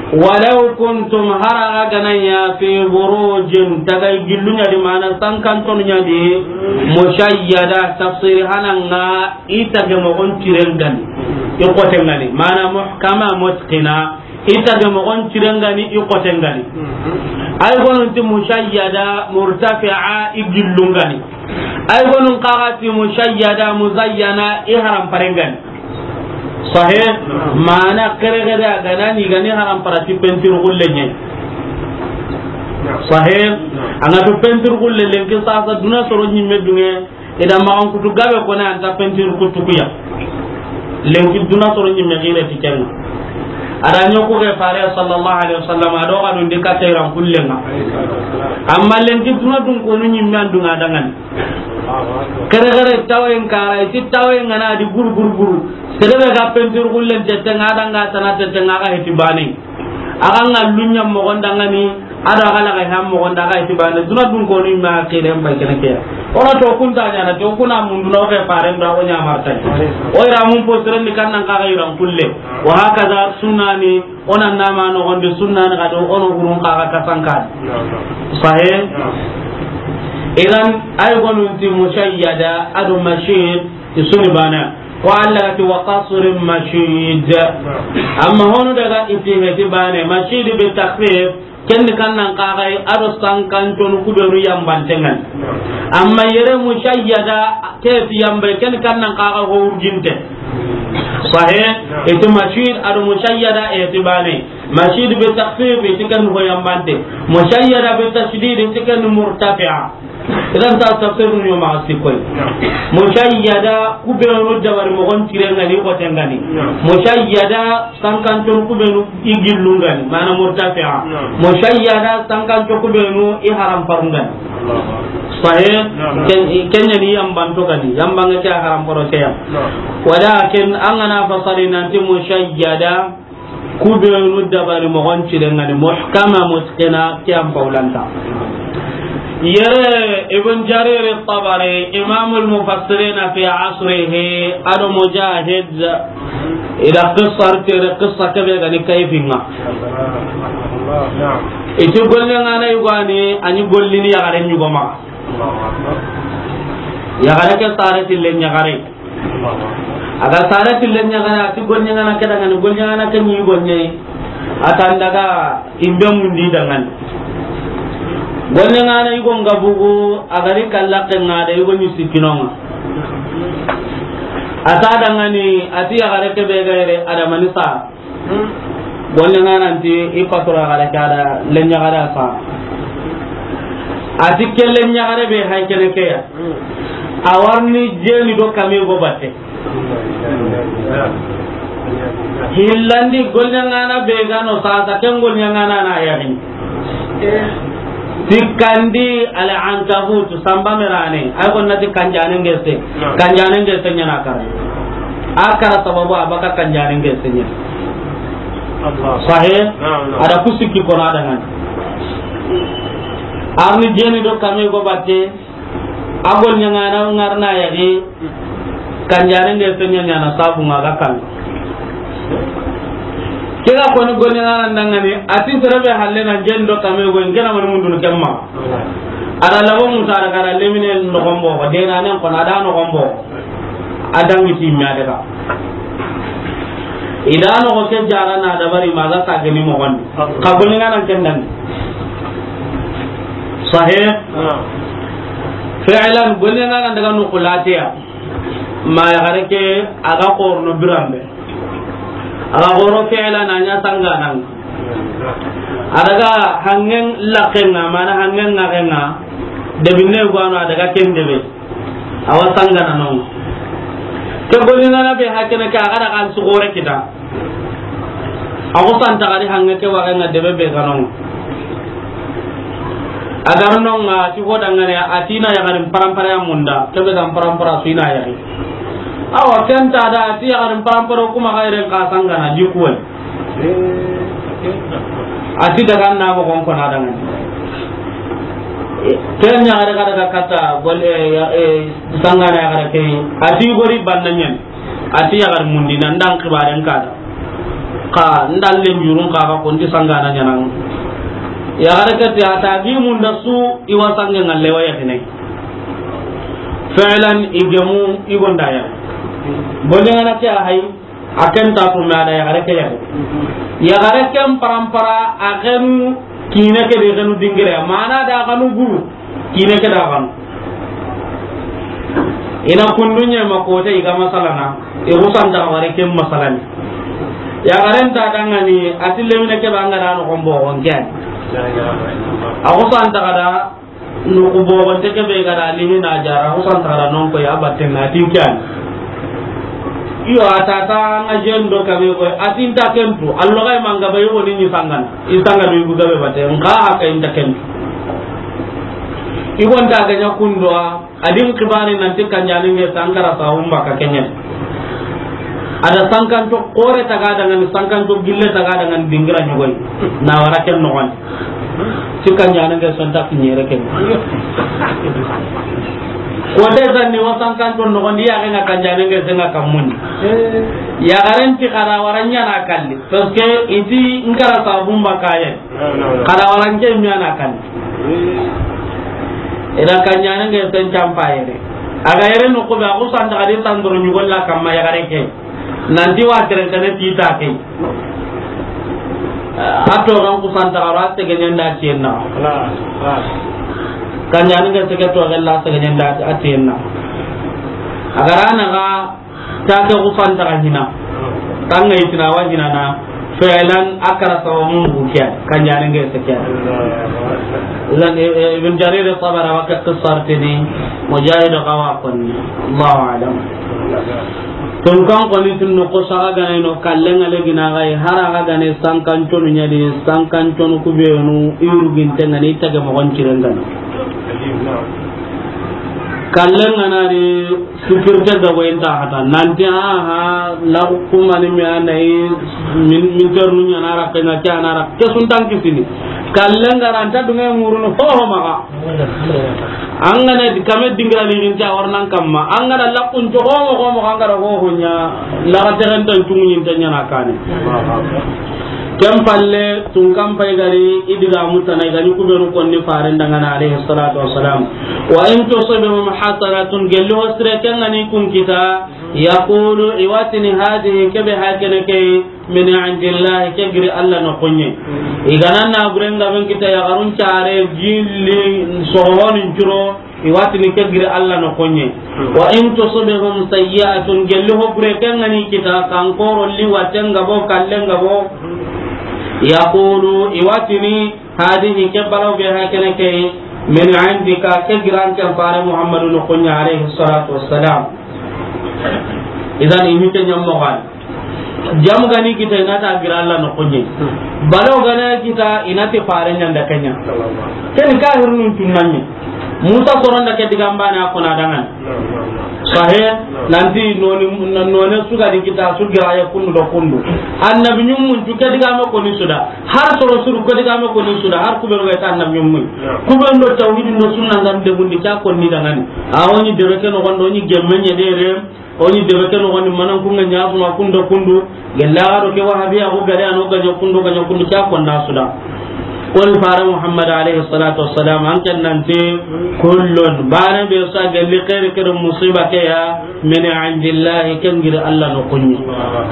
Walaw kuntum haraga gananya fi burujin taga gillu ɲa di mana sankan tonu ɲa di mushayyada tafsir hananga ita ge mogon tirengani i kotengani mana muhkama mutqina ita ge mogon tirengani i kotengani ay gonun ti mushayyada murtafi'a i gillungani ay gonun kaga ti mushayyada muzayyana i haram parengani Sahih. Mana kere kere a gana ni gani haram parati peinture gulle ɲe. Sahih. Anga to peinture gulle lenki sasa duna soro ɲimme dunge. Ida ma an kutu gabe kone anta peinture kutu kuya. Lenki duna soro ɲimme gire ti kenna. Ada ɲoko ke fare sallallahu alaihi wasallam ado ga dun dika tayran kullenga. Amma lenki duna dun konu ɲimme an dunga dangani. Kere kere tawen kara iti tawen ngana di buru buru buru. Sedebe ga peinture gullen tete nga danga tana tete nga ga heti bane. Aga nga lunya mogon dangani ada ga la ga ham mogon daga heti bane. Duna dun konu ma kire mba kene ke. Ona to kunta ɲana to kuna mundu no ke faren da o ɲa martai. O ira mun posren ni kannan ka ga iran kulle. Wa hakaza sunani Ona nama no gonde sunna na gado ono hurun kaga kasankan. Sahih. Idan ay gonun ti mushayyada adu mashid isuni bana. Ko Allah ga ti, "Wa qasrin mashid." Amma honu daga i ti heti bane, mashid bi takhfif, ken ni kannan kaxay, a do sankanconu kubenu yambante ŋa ni. Amma yere mushayyada, ke ti yambe, ken ni kannan kaxa ho urginte. Sahih, i ti mashid a do mushayyada, i ti bane. Mashid bi takhfif, i ti ken ho yambante. Mushayyada bi tashdid, i ti ken murtafi'a. Idan ta tafsir ni ma sikoy. Mushayyada kubenu dabari mogon tire ŋa ni, ko tengani. Mushayyada sankancon kubenu i gillu ŋa ni, mana murtafi'a. Mushayyada sankanco kubenu i haram paru ŋa ni. Sahih. Ken-, kenya ni yambanto gani, yambanga ke haram paro ke ya. Walakin an ga na fasari nanti mushayyada, kubenu dabari mogon tire ŋa ni, muhkama, mutqina, ke an paulanta. Yere Ibn Jarir Tabari, imamul mufassirina fi asrihi, a do Mujahid, i da qissa tere, qissa kebe gani kayfinga. I ti golle ŋa na yugo ni, a ni gollini yaxare yugo ma. Yaxare ke sare tille yaxare. A ga sare tille yaxare, a ti golle ŋa na ke da ŋa ni, golle ŋa na ke ni golle. A ta n daga imbe mundi da ŋa ni. Golle ŋa na yugo ŋa bugu, a ga ri kalla ke ŋa da yugo ni sikinonga. A ta da ŋa ni, a ti yaxare kebe ga yere, a da mani sa. Golle ŋa na nti i patura yaxare ke a da lenyaxare a sa. A ti ke lenyaxare be hay kene ke ya. A wa ri ni jeni do kame go batte. Hillandi golle ŋa na be ga no sasa, ken golle ŋa na na yaxini. Sikkandi al ankabut, samba merane, ay ko na ti kanjane ngese. Kanjane ngese ɲa na kara. A kara sababu a baka kanjane ngese ɲa. Sahih. A da ku sikki kono a da ŋa ni. A ri ni jeni do kame go batte. A golle ŋa na ŋa ri na yaxi, kanjane ngese ɲa ɲa na sabu ŋa ga kan. Ke ga koni golle ŋa na da ŋa ni, a ti sere be halle na jeni do kame go, n ke na mani mundunu kemma. A da labo muta da kara lemine noxon boxo, de na nen kono a da noxon boxo. A da ŋi ti me a daga. I da noxo ke jara na dabari ma ga sa geni moxon. Ka golle ŋa na ken da ŋa ni. Sahih. Fi'lan, golle ŋa na daga no xulatiya. Ma yaxare ke a ga xorono biranbe. A ga xoro fi'lan a ɲa sangana. A daga hangen lakenga, mana hangen ŋaxenga. Debinne go a no a daga ken debe. A wa sangana no. Ke golle ŋa na be hakene ke a ga daga an sugore kita. A ko santa gadi hange ke waxe ŋa debe be ga no. A ga ri no ŋa ti ho da ŋa ni, a ti na yaxarin parampara ya munda, kebe ga parampara su i na yaxi. Awa, ken ta da, a ti yaxarin parampara kuma ga yere n ka sangana di kuwe. A ti daga na moxon ko na da ŋa ni. Ken ɲa ga daga kata golle, eh, sangana yaxare ke. A ti gori banna ɲa ni. A ti yaxar mundi na ndan xibaren ka da. Xa ndan len jurun xa ga ko nti sangana ɲa na. Yaxare ke ti a ta gi munda su i wa sange ŋalle wa yaxine. Fi'lan i gemu i gonda ya. Golle ŋa na ke a hay, a ken ta ko me a da yaxare ke yaxi. Yaxare ken parampara a xenu kine ke de xenu dingire. Mana da xanu guru. Kine ke da xanu. I na kundu ɲa ma kote i ga masalana, i xusanta wari ken masalani. Yaxaren ta da ŋa ni, a ti lemine ke ba ŋa da noxon boxon ke ya ni. A xusanta ga da noxu boxon te ke be ga da limi na jara, a xusanta ga da non ko ya batten na ti ke ya ni. Iyo, a ta ta ŋa jeni do kame ko, a ti nta ken tu, allo ga i ma ŋa ba i wo ni ni sangana, i sanga do i bu ga be batte, n ka haka i nta ken tu. I gonta ga ɲa kundo a, a di n xibari nanti kanjane ngese an kara sa umba ka ke ɲa ni. A da sankanto xore ta ga da ŋa ni, sankanto gille ta ga da ŋa ni dingira ɲogoy. Na wara ken noxon. Ti kanjane ngese nta kiɲere ken. Ko te sanni wa sankanto noxon di ya ga ŋa kanjane ngese ŋa kamuni. Yaxaren ti xa da wara ɲa na kalli. Parce que i ti n kara sa umba ka ye. Xa da wara n ke mi a na kan. I da kanjane ngese n campa yere. A ga yere noqu be, a xusantaxa di tandoro ɲugolla kamma yaxare ke. Nanti wa tere kane ti ta ke. A toxan xusantaxa ro, a segeɲen da tiyen na. Kanjaani ga sege toxella, a segeɲen da a tiyen na. A ga ra na ga ta ke xusantaxa hina. Tanga itina wa hina na. Fi'lan a kara sababu mu ke, kanjaani ga sege. Idan, e, e, Ibn Jarir Tabari wa ke qissar tini, Mujahid ga wa konni. Allahu a'lam. Tunkan koni tun noqu saga gane no, kallen ŋa le gina ga yi, hara ga gane sankan conu ɲa di, sankan conu ku be nu i ruginte ŋa ni, tage moxon ciren gane. Kallen ŋa na ri, sécurité ga boyen ta hata, nanti, aha, la kuma ni me anayi, min, min ternu ɲa na ra, ke ŋa ke na ra, ke sun tan kisini. Kallen ŋa ra nta dunŋe ŋurunu, ho, ho, maxa. An ga na di kame dingira ni ginta warnan kamma. An ga na lakun to homo homo, an ga na ho ho ɲa, la ga tegen tan tungu ɲin tan ɲa na kane. Ken palle, tunkan pay gari, i diga mutana, i ga ni ku be nu konni faren da ŋa na, alayhi salatu wassalam. Wa in tusibhum hasanatun, gelli ho sire ken ga ni kun kita, yaqulu, i wa tini, hadhihi, ke be ha kene ke, min indillahi, ke giri Alla noxon ɲa. I ga na na buren ga ben kita yaxarun care, jilli, soxonin curo, i wa tini ke giri Alla noxon ɲa. Wa in tusibhum sayyi'atun, gelli ho bure ken ga ni kita, kankoro, liwaten ga bo, kallen ga bo, yaqulu, i wa tini, hadhihi, ke balaw be ha kene ke, min indika, ke giran ke fare Muhammadu noxon ɲa, alayhi salatu wassalam. Idan, i mi ke ɲammo gani. Jamu ga ni kita, i na ta gira Alla noxon ɲa. Balaw ga na kita, i na ti fare ɲa nda ke ɲa. Ken kahirunun tunna ɲa. Musa soron da ke digan bane a kona dangan. Sahe, nanti noni, noni su ga di kita, su gira ya kundu do kundu. Annabi ɲummun tu ke digame koni su da. Har soro suru ke digame koni su da. Har ku be ga ta annabi ɲummun. Ku be ndo tawhidin do sunna ngam de bundi ka koni dangan. A woni de be ke noxon do ni gemme ɲa de re. O ni debe ke noxon di, manan kun ga ɲa suma kundu kundu, gella do ke wahabiya ko gare ano ga ɲa kundu, ga ɲa kundu, ke a konna su da. Ko fare Muhammad alayhi salatu wassalam, an ken nanti, kullun, bane be sa gelli xeeri ke do musiba ke ya, min indillahi, ken giri Alla noxon ɲa.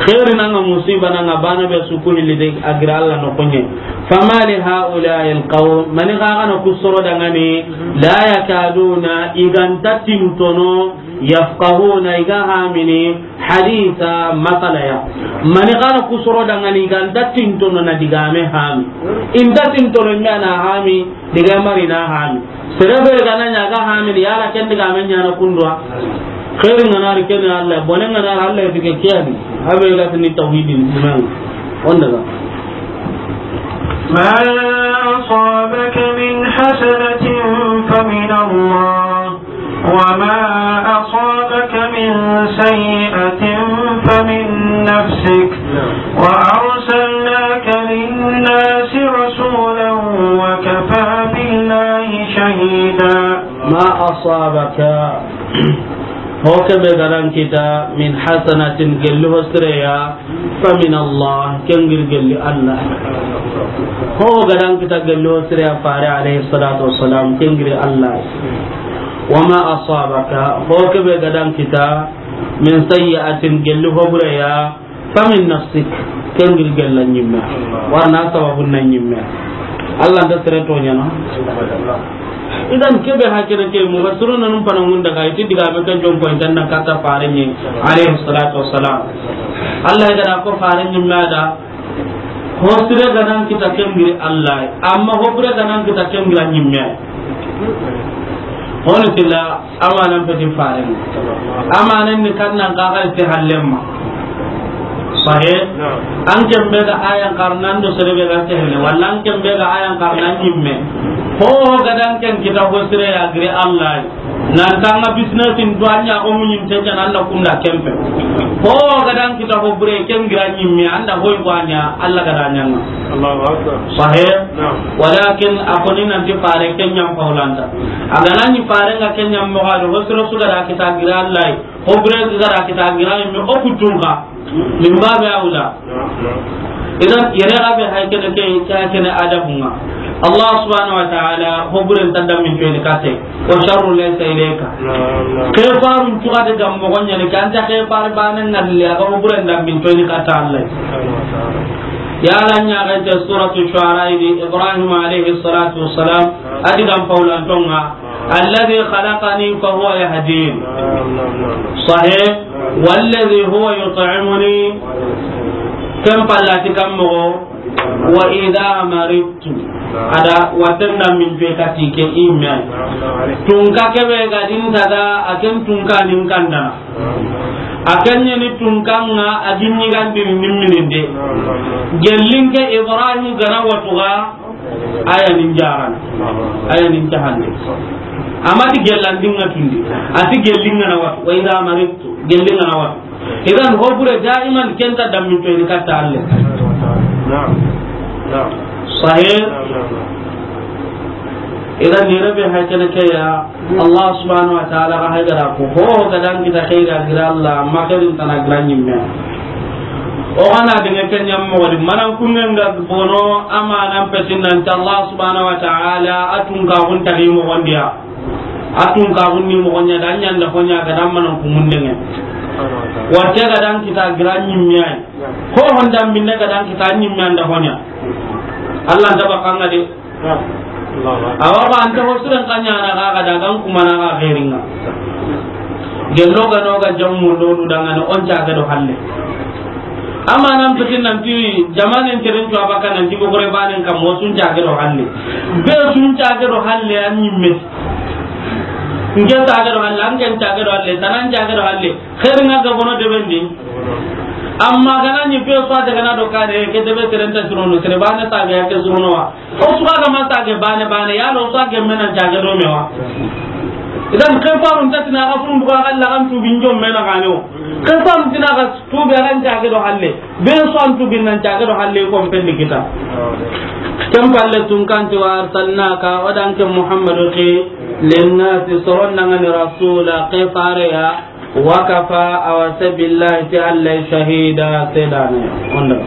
Xeeri na ŋa, musiba na ŋa, bane be su ku hilli de, a giri Alla noxon ɲa. Fama li haula'i alqawm, mani xa ga na ku soro dangani, la yakaduna, i ga nta tintono, yafqahuna, i ga hamini, haditha, masala ya. Mani xa na ku soro dangani, i ga nta tintono na digame hami. I nta tintono me na hami, digame mari na hami. Sere be ga na ɲa ga hamini, yala ken digame ɲa na kundu wa. Xeeri ŋa na ri ken Alla, bone ŋa na ri Alla, i ti ke kiyani. A be ga tini tawhidin iman. Onda ga. ما أصابك من حسنة فمن الله، وما أصابك من سيئة فمن نفسك، وأرسلناك للناس رسولا وكفى بالله شهيدا. ما أصابك، ho ke be ga da an kita, من حسنة, gelli ho sire ya, فمن الله, ken giri gelli Alla. Ho ga da an kita gelli ho sire ya, fare alayhi salatu wassalam, ken giri Alla. وما أصابك, ho ke be ga da an kita, من سيئة, gelli ho bure ya, فمن نفسك, ken giri gelli an ɲimme. Wa na sababu na an ɲimme. Alla nta sere toɲana. Idan ke be ha kene ke, mufassiruna nun pana ŋunda ga i ti digame ke jom ko intanna kata fare ɲi, alayhi salatu wassalam. Alla ga da ko fare ɲimme da, ho sire ga na an kita ken giri Alla, amma ho bure ga na an kita ken giri an ɲimme. Honi tilla, amanan peti fare. Amanan ni kannan ka ga ti hallemma. Sahe? An ken be ga ayan karnan do sere be ga sehne, wala an ken be ga ayan karnan ɲimme. Ho ga da an ken kita ho sire ya giri Alla. Nan tanga business in duanya ko mun yinte kan Alla kunda kempe. Ho ga da an kita ho bure ken giri an ɲimme, an da hoy ko anya Alla ga da ɲanga. Allahu Akbar. Sahe? Naam. Walakin a ko ni nanti fare ken ɲam paulanta. A ga na ni fare ŋa ken ɲam mo ga do ho sire su ga da kita giri Alla. Ho bure ga da kita giri an ɲimme o kutunga. Min babi awla. Idan, yere ga be hay kene ke, ke hay kene adabu ŋa. Allah subhanahu wa ta'ala, ho buren ta dammin toyini katte. Wa sharru laysa ilayka. Naam, naam. Ke farun cuga de gam moxo ɲa ni, ke anta ke far bane ŋalle, a ga ho buren dammin toyini katte Allah. Subhanahu wa ta'ala. Ya la ɲa ga ta suratu Shu'ara di, Ibrahim alayhi salatu wassalam, a di gam paulantonga, "Alladhi khalaqani fa huwa yahdin." Naam, naam, naam, naam. Sahih. Naam. "Walladhi huwa yut'imuni." Ken pallati kam moxo, "Wa idha maridtu." Ada waten dammin pe kati ke imme. Naam, naam. Tunka kebe ga din tada, a ken tunka nin kanda. Naam. A ken ni tunka nga a ginni gandin nimmininde. Naam, naam, naam. Gellin ke Ibrahim gana watuga, aya nin jaran. Aya nin jahande. Amati gellandin nga tundi. Ati gellin nga na watu. Wa idha maridtu. Gellin nga na watu. Idan ho bure daiman ken ta dammin toyini katta Allah. Naam. Naam. Sahih. Naam, naam, naam. Idan ni rabe hakana ke ya Allah subhanahu wa ta'ala ga haydara ko ho ga dan kita khaira gira Allah ma khairin tana gira ɲimme. O gana de ke ɲam mo wadi manan kunnen ga bono amanan petin nan ta Allah subhanahu wa ta'ala atun ka hun tari mo wandiya. Atun ka hun ni mo nya dan ɲa nda ho ɲa ga dan manan ku mun denge. Wate ga dan kita gira ɲimme ay. Ho honda minne ga dan kita ɲimme anda ho ɲa. Allah da bakanga de. Awa ba anta ho suren kanya na ga ga dagan kuma na ga khairinga. Gello ga no ga jammu do du dangane on ta ga do halle. Amanan petin nan ti jamanen teren to abaka nan ti ko gore banen kam mo sun ta ga do halle. Be sun ta ga do halle an ɲimme. Nke ta ga do halle, an ken ta ga do halle, tanan ta ga do halle. Khairinga ga bono de bendi. Amma gana ni be so daga na do kare ke de be teren ta surono, tere bane ta ga ke surono wa. O suga ga ma sage bane bane, ya lo sage mena jage do mewa. Idan ke farun ta tina ga fun buga ga la kan tu binjo mena ga no. Ke farun tina ga tu be ran jage do halle. Be so an tu bin nan jage do halle ko pen di kita. Kem palle tun kan ti wa arsalnaka, o dan ke Muhammadu ke, linnasi soron nan ni rasula ke fare ya. Wa kafa, awa se billahi ti Allah shahida, sedane. Onda.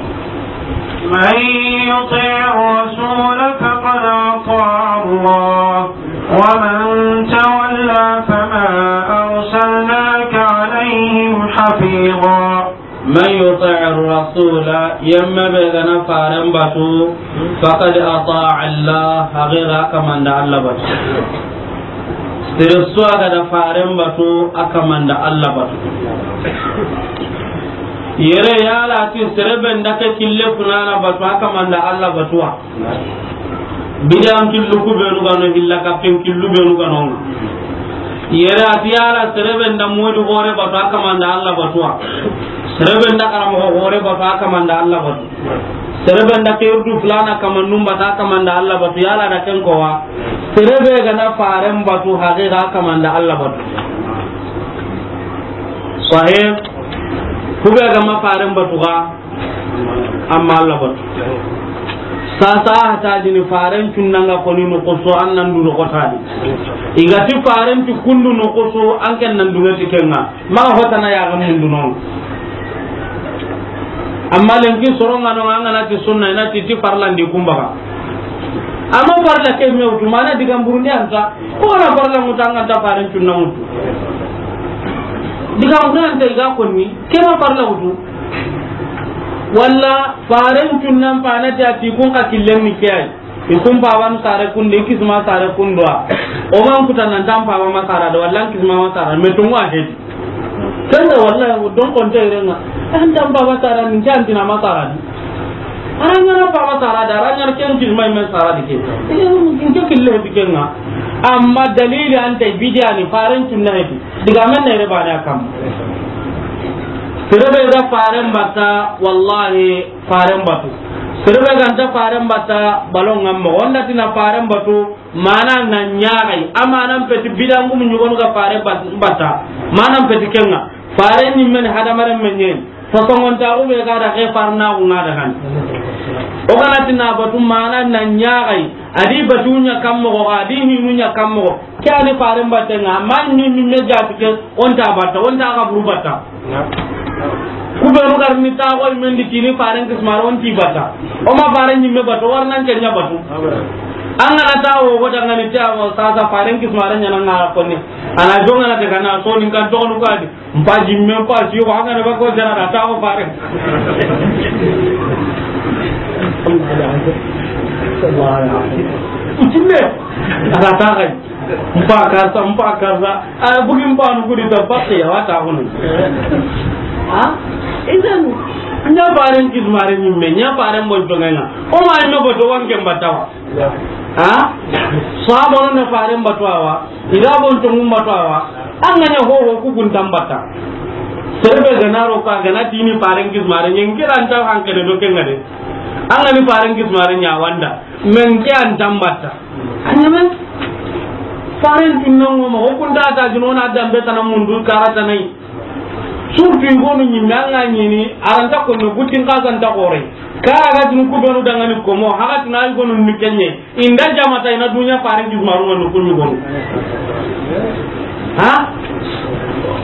من يطع الرسول فقد أطاع الله ومن تولى فما أرسلناك عليهم حفيظا. من يطع الرسول, yemme be ga na faren batu, faqad ata'a Allah, haqiqa a kaman da Allah batu. Sere su a ga da faren batu, a kaman da Allah batu. Yere yala ti sere be nda ke kille funana batu, a kaman da Allah batu wa. Bidan killu ku benu ga no, hilla kappen killu benu ga no. Yere a ti yala sere be nda modu gore batu, a kaman da Allah batu wa. Sere be nda karamo gore batu, a kaman da Allah batu. Sere be nda ke urdu fulana kaman num batu, a kaman da Allah batu. Yala da ken ko wa. Sere be ga na faren batu, haqiqa a kaman da Allah batu. Sahih. Ku be ga ma faren batu ga. Amma Allah batu. Sasa hata dini faren cunnanga koni no koso an nan du no kota di. Igati faren ti kundu no koso an ken nan du ngati kenga. Ma hota na ya ga mundu no. Amma lenki soronga no anga na ti sunna na ti ti farla ndi kumbaga. Amma farla ke me wutu mana diga mburundi anta. Ko na farla mutanga ta faren cunna mutu. Diga mburundi anta iga konni. Ke ma farla wutu. Walla faren cunnan panati a ti kun ka killen ni ke ay. I kun paban sare kunde, i kisma sare kundwa. O man kuta nan tan paba masara da, walla an kisma masara, me tungu a hedi. Kanda walla don konte renga. An tan paba sara, min can tina masara di. Aranya na paba sara da, aranya ken kisma men sara di ke. Nke kille di kenga. Amma dalili anta bidiya ni faren cunna hedi. Diga men ne re bana kam. Sere be ga faren bata, wallahi, faren batu. Sere be ga nta faren bata, balon ngam mo. Onda tina faren batu, mana na ɲagai. Amanan peti bidangum ɲugonu ga faren bat-, bata. Manan peti kenga. Faren ni men hadamaren men yen. Fasongon ta ube ga da ke farna unga da kan. O kana tina batu mana na ɲagai. Adi batu ɲa kammo, adi hinu ɲa kammo. Ke ani faren batenga, amma ni mi me jati ke, onta bata, onta kaburu bata. Ku be no gar ni ta ko men di kini faren kismaro onti bata. O ma faren ni me bata, warnan ke nya batu. An ga na ta wo, wo dangani ta wo, sasa faren kismare ɲa na ŋa ra konni. A na jonga na daga na so ni kan to no kadi. Mpa jimme mpa si ko an ga na ba ko jara da ta wo fare. Jimme. A ga ta kai. Mpa karsa, mpa karsa. A bugi mpa nu kudi ta pakke ya wata hono. Ha? Idan, ɲa faren kismare ɲimme, ɲa faren bon jonga ŋa. O ma ɲimme ko to wanke mbatawa. Ha? Sahaba no na faren batu awa. Ida bon to mun batu awa. An ga ɲa ho ho ku kun tambata. Serebe ga na ro ka ga na tini faren kismare ɲen kiran ta hankene do kenga de. An ga ni faren kismare ɲa wanda. Men ke an tambata. Anyame. Faren tinno mo o kun ta ta juno na dambe tana mundu karata nai. Surtout i gonu ɲimme an ga ɲini, a ra nta ko no butin ka ga nta gore. Kara ga tunu ku benu dangani ko mo, haga tuna i gonu ni kenye. Inda jamata ina dunya faren kismaru no kun gonu. Ha?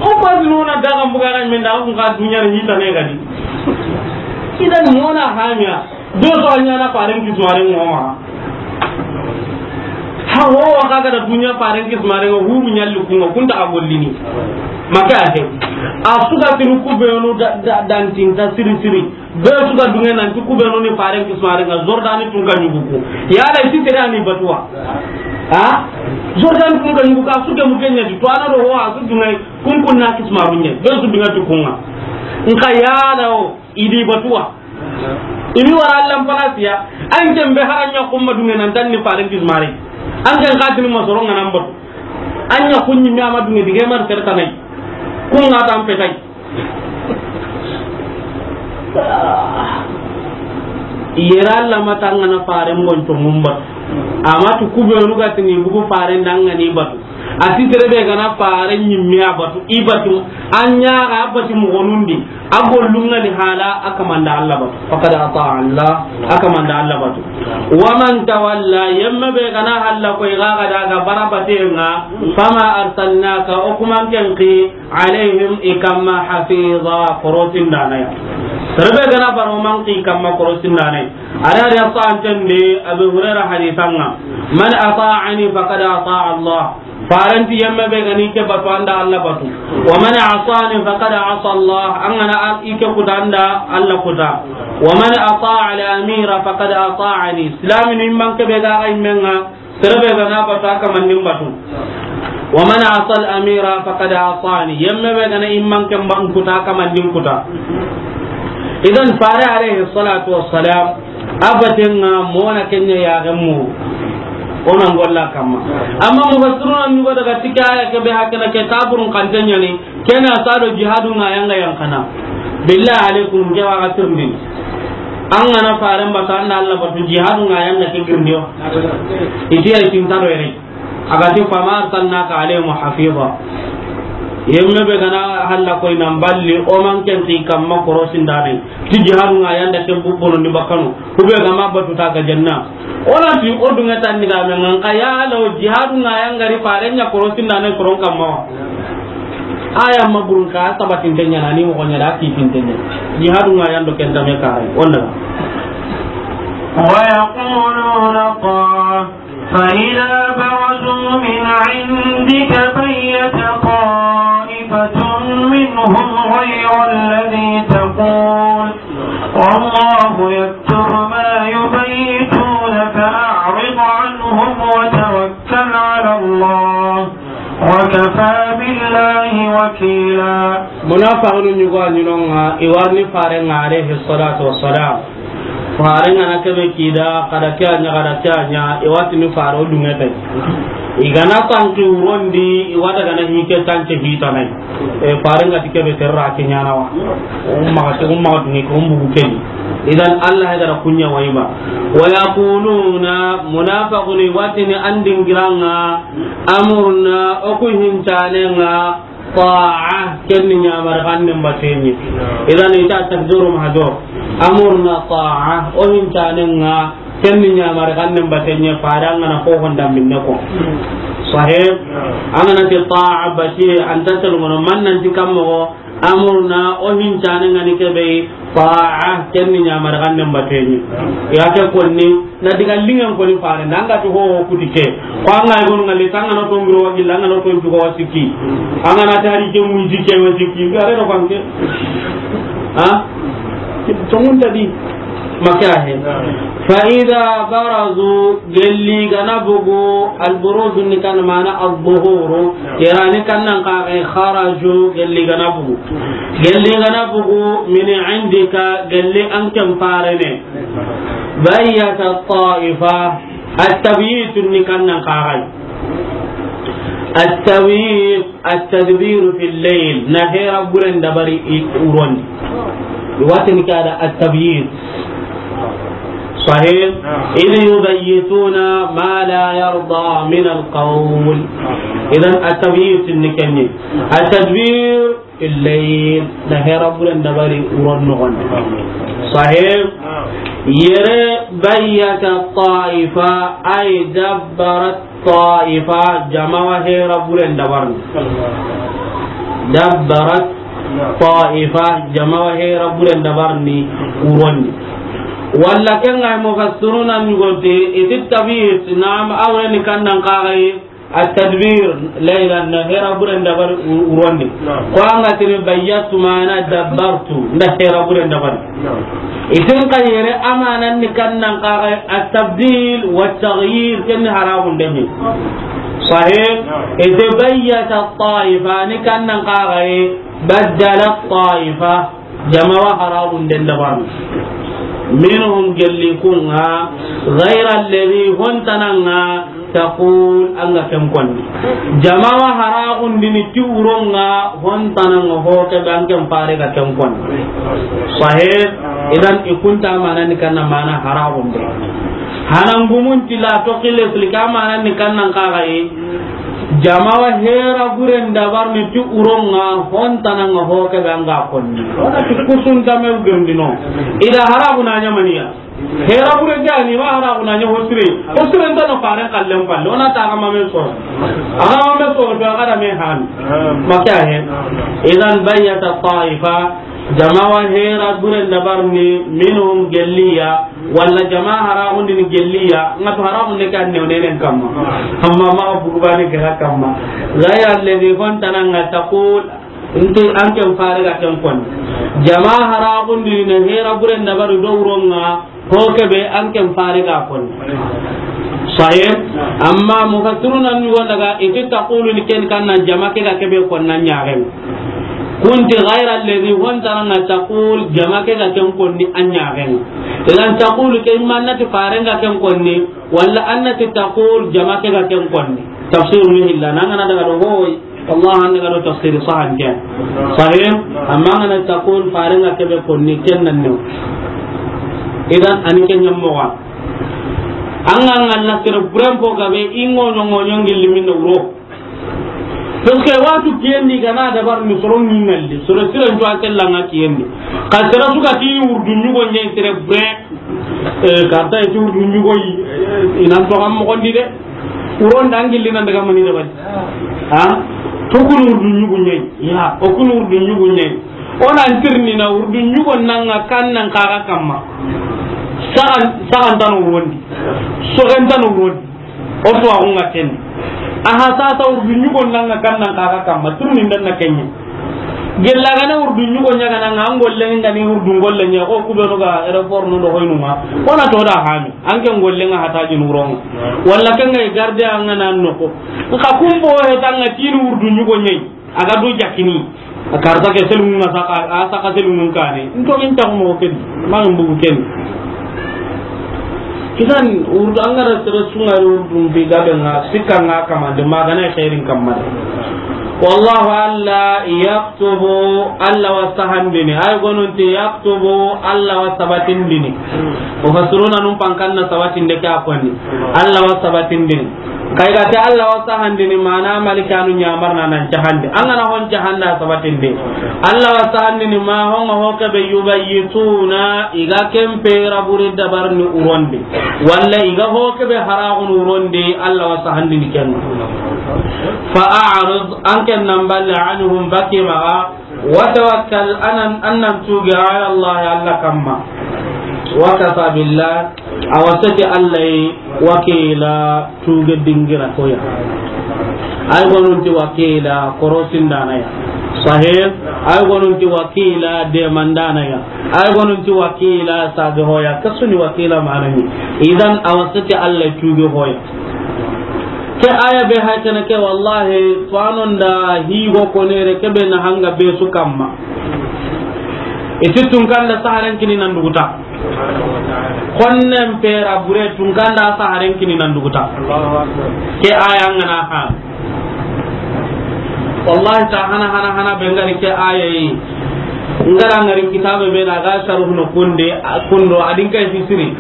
O ba no na daga mbuga ga men da kun ka dunya ni ta ne ga di. Idan mona hanya. Do so a ɲa na faren kismare ŋo ma. Ha wo wa ka ga da dunya faren kismare ŋo huru ɲalli ku ŋo kun ta a gollini. Maka he. A su ga tinu ku benu da, da, dan tin ta siri siri. Be su ga dunge nan ti ku benu ni faren kismare ŋa Jordani tun ka ɲugu ku. Ya la ti tere ani batuwa. Ha? Jordani tun ka ɲugu ka su ke mu kenya ti to ana do ho a su dunge kun kun na kismaru ɲe. Be su dunge tu kun ŋa. Nka ya la o. Idi batuwa. Imi wara Allan palasiya. An ken be haran ɲa kumma dunge nan tan ni faren kismare. An ken katini masoro ŋa nan batu. An ɲa kunɲi mi ama dunge dige mar tere tanai. Kun ŋa tan petai. Yera Alla ma tangana faren bon to mun batu. Ama tu ku benu ga tini bugu faren dangani batu. A ti tere be ga na faren ɲimme a batu, i batu, an ɲa ga a batu moxonundi, a gollun ŋa ni hala a kamanda Alla batu. Faqad ata Allah, a kamanda Alla batu. Wa man tawalla, yemme be ga na halla ko i ga ga daga bara batenga, fama arsalnaka, o kuman ken ki, alayhim i kamma hafiza, korosin danaya. Tere be ga na bara o man ki kamma korosin danaya. Ada ada sa antende Abu Hurairah hadisanga, man ata'ani faqad ata'a Allah. Faranti yemme be gani ke batu anda Alla batu. Wa man asani faqad asa Allah. An gana an ike kuta anda Alla kuta. Wa man ata'a al-amira faqad ata'ani. Islami ni man ke be ga ay menga. Tere be gana batu a kamandin batu. Wa man asa al-amira faqad asani. Yemme be gana imman ke ban kuta a kamandin kuta. Idan fare alayhi salatu wassalam. Abatenga mona kenya ya gamu. Ona ngolla kamma. Amma mufassiruna ni go daga tikaya ke be hakana ke taburun kantenya ni kena sado jihadu nga yanga yankana. Billahi alaikum ke wa gatirni. An gana faren batu anda Alla batu jihadu nga yanga ke girndiyo. Itiya itin taro yere. Agati fama arsalnaka alayhim hafiza. Yemme be gana halla koy nan balli o man ken ti kamma korosin dane. Ti jihadu nga yanda ke bubono ni bakano. Kube gama batu ta ga janna. Ona ti o dunga tan ni ga men ngan ka ya law jihadu nga yanga ri faren nya korosin dane koron kamma. Aya maburun ka sabatin tenya nani mo gonya da ki tin tenya. Jihadu nga yando ken tame karai. Onda. ويقولون طاعة فإذا برزوا من عندك بيت طائفة منهم غير الذي تقول والله يكتب ما يبيتون فأعرض عنهم وتوكل على الله وكفى بالله وكيلا. Munafiqunu ɲugo a ɲinonga, i warni farenga alayhi salatu wassalam. Farenga na kebe kida, kada ke anya, kada ke anya, i watini fare o dunge tay. I gana tanki urondi, i wada gana hike tance hitanai. E farenga ti kebe terra ke ɲana wa. Umma ka, umma ka dunge ko umbu keni. Idan Allah ya gara kunya waiba. Wa yaquluna, munafiquni watini andingiranga, amurna, oku hintanenga, ta'a, kenni ɲamar xannen batenye. Idan ita takdiru mahdur. Amurna ta'a, o hintanenga, kenni ɲamar xannen batenye, fare an gana ko honda minne ko. Sahih? An gana ti ta'a batiye, anta telgono, man nan ti kammo, Amruna, o hincane ŋa ni ke be, ta'a, ken ni ɲamari xannen bateɲi. Ya ke konni, na diga liŋen koni fare, na ŋa ti ho kuti ke. Ko an ŋa yi gonu ŋa le, tanga no to ngiro wa gilla, ŋa no to jugo wa sikki. An ŋa na tari ke mu jike wa sikki, gare do fanke. Ha? Tongun tadi. Maka he. Fa idha barazu, gelli ga na bugu, al-buruz ni kan mana az-zuhuru, yere ni kan nan ka ga kharaju, gelli ga na bugu. Gelli ga na bugu, min indika, gelli an ken fare ne. Bayyata ta'ifa, at-tabyit ni kan nan ka ga. At-tabyit, at-tadbiru fil layl, na hera buren dabari i uron. Watin kada at-tabyit. Sahih? Idh yubayyituna ma la yarda min al-qawl. Idan at-tabyit ni kenni. At-tadbir fil layl, na hera buren dabari uron noxon. Sahih? Yere bayyata ta'ifa, ay dabbarat ta'ifa, jama wa hera buren dabarni. Dabbarat ta'ifa, jama wa hera buren dabarni urondi. Walla ken ŋa mufassiruna ni gote, iti tabyit, naam, awreni kan nan ka ga yi, at-tadbir, laylan, na hera buren dabari u-, urondi. Naam. Ko an ga tini bayyatu mana dabbartu, na hera buren dabari. Naam. Itin ka yere amanan ni kan nan ka ga at-tabdil wa taghyir, ken ni haramun demi. Sahih? Naam. Ite bayyata ta'ifa, ni kan nan ka ga baddala ta'ifa. Jama wa haramun den dabarni. Minhum, gelli kun ŋa, ghayra alladhi, hontananga, taqul, an ga ken konni. Jama wa haramun dini ti uron ŋa, hontananga ho ke be an ken fare ga ken konni. Sahih? Idan i kunta mana ni kan nan mana haramun de. Hanan gumun ti la to kile silika mana ni kan nan ka ga yi. Jama wa hera buren dabarni ti uron ŋa, hontananga ho ke be an ga konni. Wala ti kusun dame girndino. Ida harabu na ɲamaniya. Hera buren ga ni ma harabu na ɲa hosire. Hosire ntano faren kallen palle. Ona ta ga mame so. Aga mame so to aga da me han. Maka he. Idan bayyata ta'ifa. Jama wa hera buren dabarni minhum gelliya. Walla jama haramun dini gelliya, ŋa to haramun ne kan ne nenen kamma. Amma ma bugubani gara kamma. Ghayra alladhi, hontananga, taqul, nti an ken fare ga ken konni. Jama haramun dini ne hera buren dabari do uron ŋa, ho ke be an ken fare ga konni. Sahih? Amma mufassiruna ni wanda ga iti taqulu ni ken kan nan jama ke ga ke be konni an ɲaxen. Kunti ghayra alladhi, hontananga taqul, jama ke ga ken konni an ɲaxen. Idan taqulu ke imma an na ti faren ga ken konni, walla an na ti taqul jama ke ga ken konni. Tafsir mi hilla, na an ga na daga do hoy, wallah an daga do tafsir sahan ken. Sahih? Amma an ga na taqul faren ga ke be konni ken nan ne. Idan an ken ɲammo wa. An ga na sere buren po ga be ingo ɲongo ɲongi limin wuro. Parce que waxatu kiyen di ga na dabarni soro ni ŋalli, soro siren to a kellanga kiyen di. Ka sere su ga ti wurdu ɲugo ɲe sere bre, eh, karta ti wurdu ɲugo yi, eh, inan to am moxon di de. Uron da an gilli nan daga mani dabari. Ha? To kun wurdu ɲugo ɲe. Ya, o kun wurdu ɲugo ɲe. Ona antirni na wurdu ɲugo nanga kan nan kaga kamma. Sagan, sagan tano wurondi. Sogen tano wurondi. O to a gunga ken. Aha, sasa wurdu ɲugo nanga kan nan kaga kamma, turni ndan na kenye. Gella gana wurdu ɲugo ɲaga nanga, an golle ngani wurdu golle ɲa, o kubenu ga aéroport no do hoynu ma. Ona to da hami, an ken golle nga hata jin wuronga. Walla ken ga garde an ga nan no ko. Ka kumbo he tanga tin wurdu ɲugo ɲe. A ga do jakini. A karta ke selungun ŋa saka, a saka selungun kane. Nto min taxu moxo ken. Ma min bugu ken. Kisan wurdu an ga ra sere su ŋa wurdu mbi gabe ŋa, sikka ŋa kamande, ma gana xeerin kamande. Wallahu, Alla, yaktubu, Alla wa sahandini. Ay gonunti yaktubu, Alla wa sabatindini. Mufassiruna num pankanna sabatinde ke a konni. Alla wa sabatindini. Kay ga te Alla wa sahandini, mana malikanu ɲamarna nan cahandi. An gana hon cahanda sabatindi. Alla wa sahandini ma honga ho kebe yubayyituna, i ga ken pera buri dabarni urondi. Walla i ga ho kebe haragun urondi, Alla wa sahandini ken. Fa a'rid, an ken nan balle anhum baki maga, Wa tawakkal, an nan, an nan tuuge, ala Allah, Allah kamma. Wa kafa billah, a wa seti Allah yi wakiila, tuuge dingira ko ya. Ay gonun ti wakiila, korosindaana ya. Sahih, ay gonun ti wakiila, demandaana ya. Ay gonun ti wakiila, sage hoya. Kasuni wakiila manani. Idan a wa seti Allah tuuge hoya. Ke aya be hay kene ke, wallahi, fanon da higo konere ke be na hanga be su kamma. Iti tunkanda saharen kini nan duguta. Xonnen pera bure tunkanda saharen kini nan duguta. Ke aya ngana ha. Wallahi ta hana, hana, hana be ngari ke aya yi. Ngara ngari kitabe be na ga sharuhu no kunde, kundo adin kai fisiri.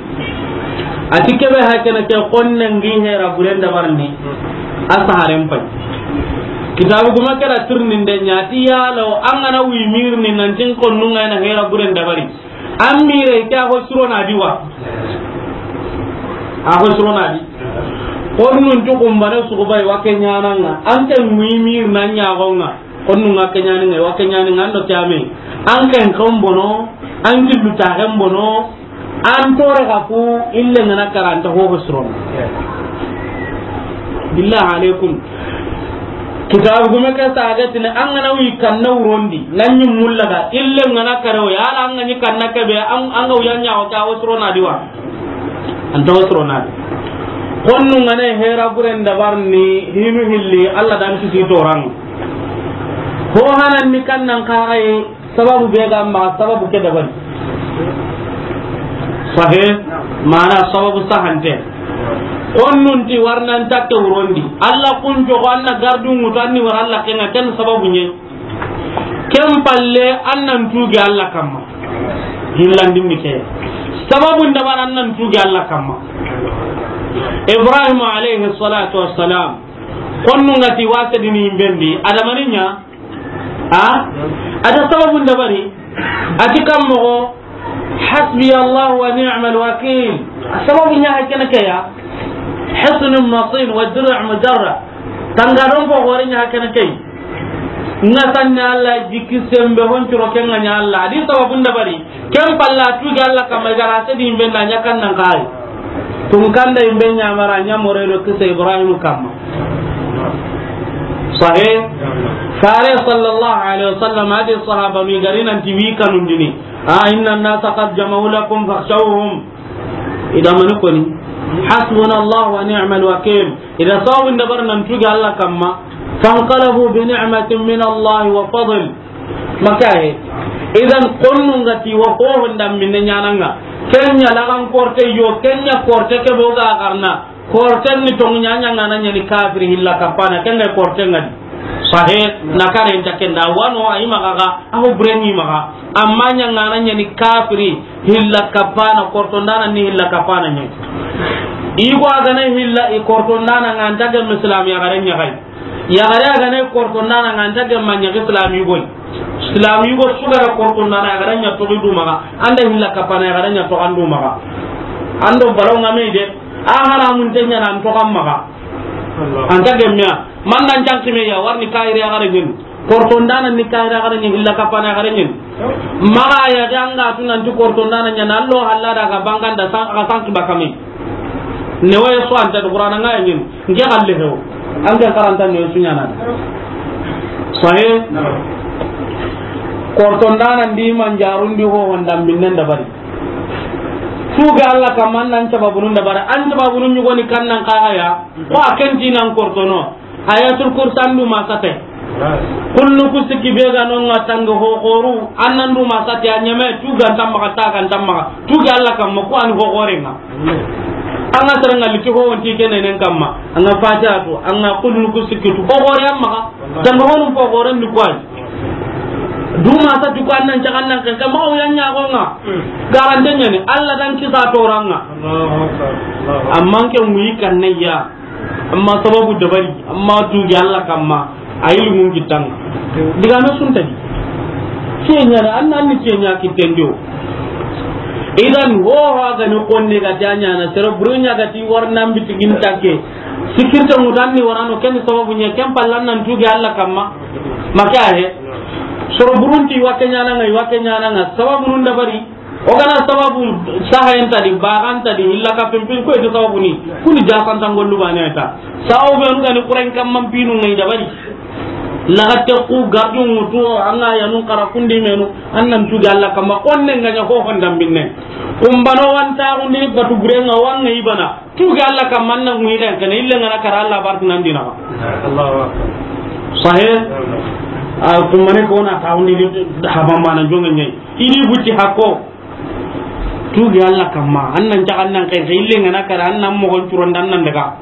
A ti kebe hakene ke xonne ngi hera buren dabarni. A saharen pay. Kitabu guma kera tirninde ɲa ti yalo an gana wi mirni nan tin konnu nga na hera buren dabari. An mire ke a ho suro na diwa. A ho suro na di. Konnun tu kumbane su ko bay wa ke ɲananga. An ke wi mir na ɲagonga. Konnu nga ke ɲani nga, wa ke ɲani nga ndo kyame. An ke kan bono, an gillu ta kan bono. An tore ka ku ille ngana karanta ho ho suron. Billahi alaikum. Kitabu gume ke saga tini an gana wi kanna wurondi, nan ɲi mullaga, ille ngana kare o, yala an gani kanna kebe, an, an ga wuyanya o ka o surona diwa. An ta o surona di. Konnu ngane hera buren dabarni, hinu hilli, Allah dan kisi toran. Ho hanan ni kannan kaxaye, sababu be ga ma, sababu ke dabari. Sahe, mana sababu sahante. Konnun ti warnan takke wurondi. Allah kun jogo anna gardu ngutu anni war Allah kenga ken sababu nye. Ken palle annan tuge Allah kamma. Hillandin mi ke. Sababu ndabar annan tuge Allah kamma. Ibrahim alayhi salatu wassalam. Konnun ngati wasa dini imbendi. Adamaninya. A? A da sababun dabari. A ti kan moxo, حسبي الله ونعم الوكيل. A sababun ɲa hakene ke ya. حصن مصين ودرع مدرع. Tanga don ko gore ɲa hakene ke. Nga sanni Allah jikki sembe hon curo ken nga ɲa Allah. A di sababun dabari. Ken palla tuge Allah kamma i gara sedi imbe na ɲa kan nan kai. Tun kanda imbe ɲa mara ɲa more do kisa Ibrahim kamma. Sahih. Fare sallallahu alaihi wasallam hadi sahaba mi gari nan ti wi kanun dini. A, إن الناس قد جمعوا لكم فاخشوهم. Ida mani koni. حسبنا الله ونعم الوكيل. Ida sawin dabar nan tuge Allah kamma. فانقلبوا بنعمة من الله وفضل. Makaye. Idan konnun ngati wa ko honda minne ɲananga. Kenya lagan korte yo, kenya korte ke boga garna. Korten ni tongu ɲaɲa ngana ɲani kafiri hilla kapana, kenga korten ngadi. Sahe, na kare nta kenda, wano ayi maga ga, aho bureni maga. Amma ɲa ngana ɲani kafiri hilla kapana, kortondana ni hilla kapana ɲa. Igo agana hilla i kortondana nganta ge muslim ya gare ɲa gai. Yaxare a ga na i kortondana nga nta gemma ɲa ke silami goy. Silami go su ga ra kortondana yaxare ɲa toxi du maxa. An da hilla kapana yaxare ɲa toxan du maxa. An do baraw nga me de. A haramun te ɲa nan toxan maxa. An ta gemmiya. Man nan janki me ya warni kayri yaxare ɲen. Kortondana ni kayri yaxare ɲen, hilla kapana yaxare ɲen. Maxa ya ga nga tu nan ti kortondana ɲa na lo halla daga banganda san, ka san ki bakame. Ne waye so anta do Qur'ana nga ɲen. Nke xalle hewo. An ke karanta ne su ɲana. Sahe. Kortondana ndi manjarundi ho honda minnen da bari. Tuga Allah kaman nan sababunun da bari. An sababunun ɲugoni kan nan kaxaya. Ko a kenti nan kortono. Ayatul Kursi an du ma sate. Kullu ku sikki be ga no nga tanga ho xoru. An nan du ma sate a ɲeme tuga ntamma ka taga ntamma. Tuga Allah kamma ko an ho xorenga. An ga sere nga liti ho wonti kene nen kamma. An ga Fatiha tu, an ga kullu ku sikki tu. Ho xore amma ka. Tanga ho num ho xore ni ko ay. Du ma sate ko an nan jagan nan kan kamma o yanya ko nga. Garante ɲani Allah dan kisa toranga. Amma ke muyi kan ne ya. Amma sababu dabari, amma tugi Allah kamma, a yi lumun kitanga. Diga no sunta di. Kenya na, an nan ni kenya kitendio. Idan ho ha ga ni konne ga tanya na, sero burunya ga ti war nan bitigin take. Sikirta mudanni warano ken sababu ɲa ken pallan nan tugi Allah kamma. Maka he. Soro burunti, i wa ke ɲaana ŋa, i wa ke ɲaana ŋa, sababu nun dabari. O ga na sababu saha yen ta di, baga nta di, illa ka pimpin ko eti sababu ni. Kuni ja santa ngollu bane ta. Sababu be nu ga ni Qur'an kamman pinu ŋa i dabari. Laga te ku gardu mutu, an ga ya nun kara kundi menu, an nan tuugi Alla kamma, konne ŋa ɲa ho honda binne. Kumbano wanta undi batu gure ŋa wa ŋa i bana. Tuugi Alla kamma, an na ŋuyi xenqene, ille ŋa na kara Alla barti nan dina. Allahu Akbar. Sahe. A kummane ko na tawndi di habamba na jonge ɲayi. I di buti hakko. Tuugi Alla kamma, an nan caga, an nan xenqe, ille ŋa na kara, an nan moxon curon da, an nan daga.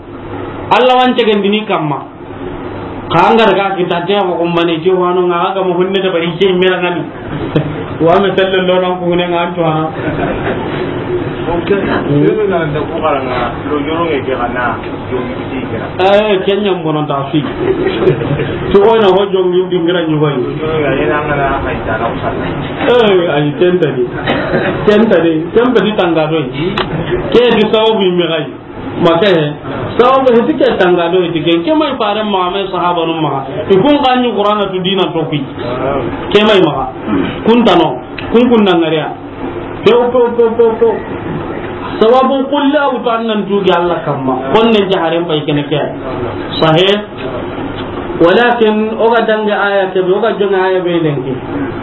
Alla wan cegen dini kamma. Xa an ga daga kita te ko kumbane, je wano ŋa ga mo honne da bari je mera ŋani. Wa me sallallahu nan ko ne ŋa an to ana. Ok. Sebe na da ko kara ŋa lo joro ŋe ke kana jongi ti kira. Eh, ken ɲa n bono ta fi. To o na ho jongi dingira ɲugo yi. Eh, ay tenta di. Tenta di. Tenta di tanga do yi. Ke di sababu me gai. Ma ke he. Sababu he ti ke tanga do he ti ke. Ke ma i fare ma, ma i sahaba nu ma. I kun ga ɲi Qur'ana tu dina to kui. Ke ma i ma. Kun tano. Kun kun na ŋariya. Pew, pew, pew, pew, pew. Sababu kulla wutu an nan tuugi Alla kamma. Konne jaharen pay kene ke. Sahe. Walakin o ga dange aya ke be, o ga jonge aya be lenki.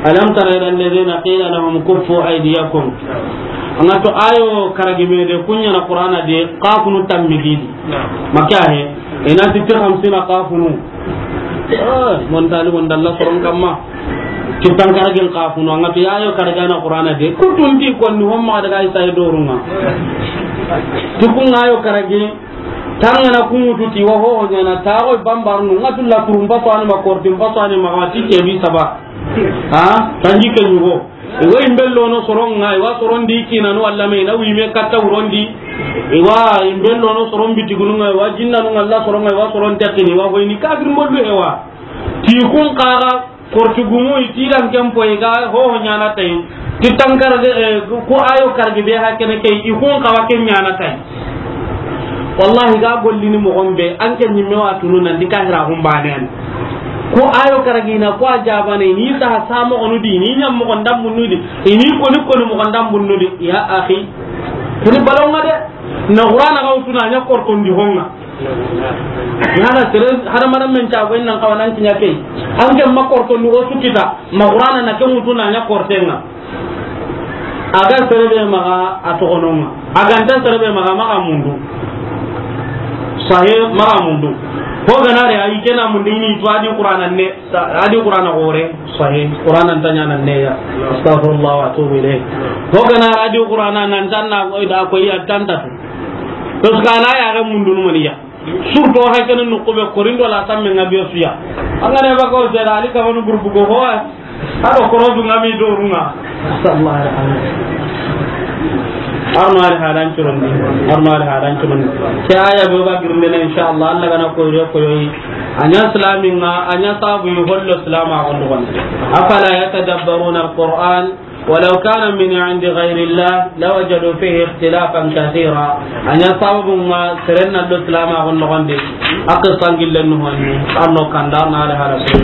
Alam tara ila alladhina qila lahum kuffu aydiyakum. An ga to ayo karagi me de, kun ɲa na Qur'ana de, kafunu tammigidi. Maka he. Ina ti ti khamsina kafunu. Ah, mon tali mon dalla soron kamma. Ti tan karagin kafunu, an ga to ayo karagi na Qur'ana de. Kutun ti konni homma daga isa e dorunga. Ti kun ayo karagi. Tangana kunŋutu ti wa ho ɲaana, taxo bambarnu, ŋa tu la kurun paso ani ma, kortin paso ani ma, ti kebi saba. Ha? Tanji ke ɲugo. I wa i mbellono soron ŋa, i wa soron di kinanu walla me, i na wi me katta wuron di. I wa i mbellono soron bitigunu ŋa, i wa jinnanu ŋa, Allah soron ŋa, i wa soron tekini, i wa hoyni kafir mollu he wa. Ti kun kaga, Korti gumu i ti dan ken po i ga ho ho ɲaana tayi. Ti tan karage, eh, ku ayo karage be ha kene ke i kun kawa ken ɲaana tayi. Wallahi ga gollini moxon be, an ke ɲimme wa tunu nan di kahira hum banen. Ku ayo karage na ku a jabane ni sa ha sa moxonu di, ni ɲam moxon dambunu di, ni koni koni moxon dambunu di. Ya akhi. Kuni balonga de. Na Qur'ana ga wutuna ɲa kortondi honga. Yana sere hadamaren men cago in nan kawa nan kiɲa key. An ke ma korto ni o su kita, ma Qur'ana na ke mutu na ɲa kortenga. A ga sere be maxa a toxononga. A ga nta sere be maxa, maxa mundu. Sahe, maxa mundu. Ho ganare ayi kena mundu ini to a di Qur'ana ne. Sa-, a di Qur'ana gore, sahih. Qur'ana nta ɲaana neya. Astaghfirullah wa atubu ilayh. Ho gana a di Qur'ana nan tan na ko da ko ya tanta. To kana ya ga mundun maniya. Surtout hay kan no ko be korindo la samme ngabe suya. An ga ne ba ko se da ali ka wonu groupe go ho. Ado korodu ngami dorunga. Sallallahu alaihi wasallam. Arno ali hadan curondi. Arno ali hadan curondi. Ke aya be ga girndene, inshallah, Allah gana ko yo ko yoyi. Anya islamin ŋa, anya sabu yi hollo islama gondo gon. Afala yatadabbaruna alquran, walau kana min indi ghayri Allah, lawajadu fihi ikhtilafan kathira. Anya sabu ŋa seren na lo islama gondo gon de. Akka sangillen no hanni, arno kanda na ala hala so.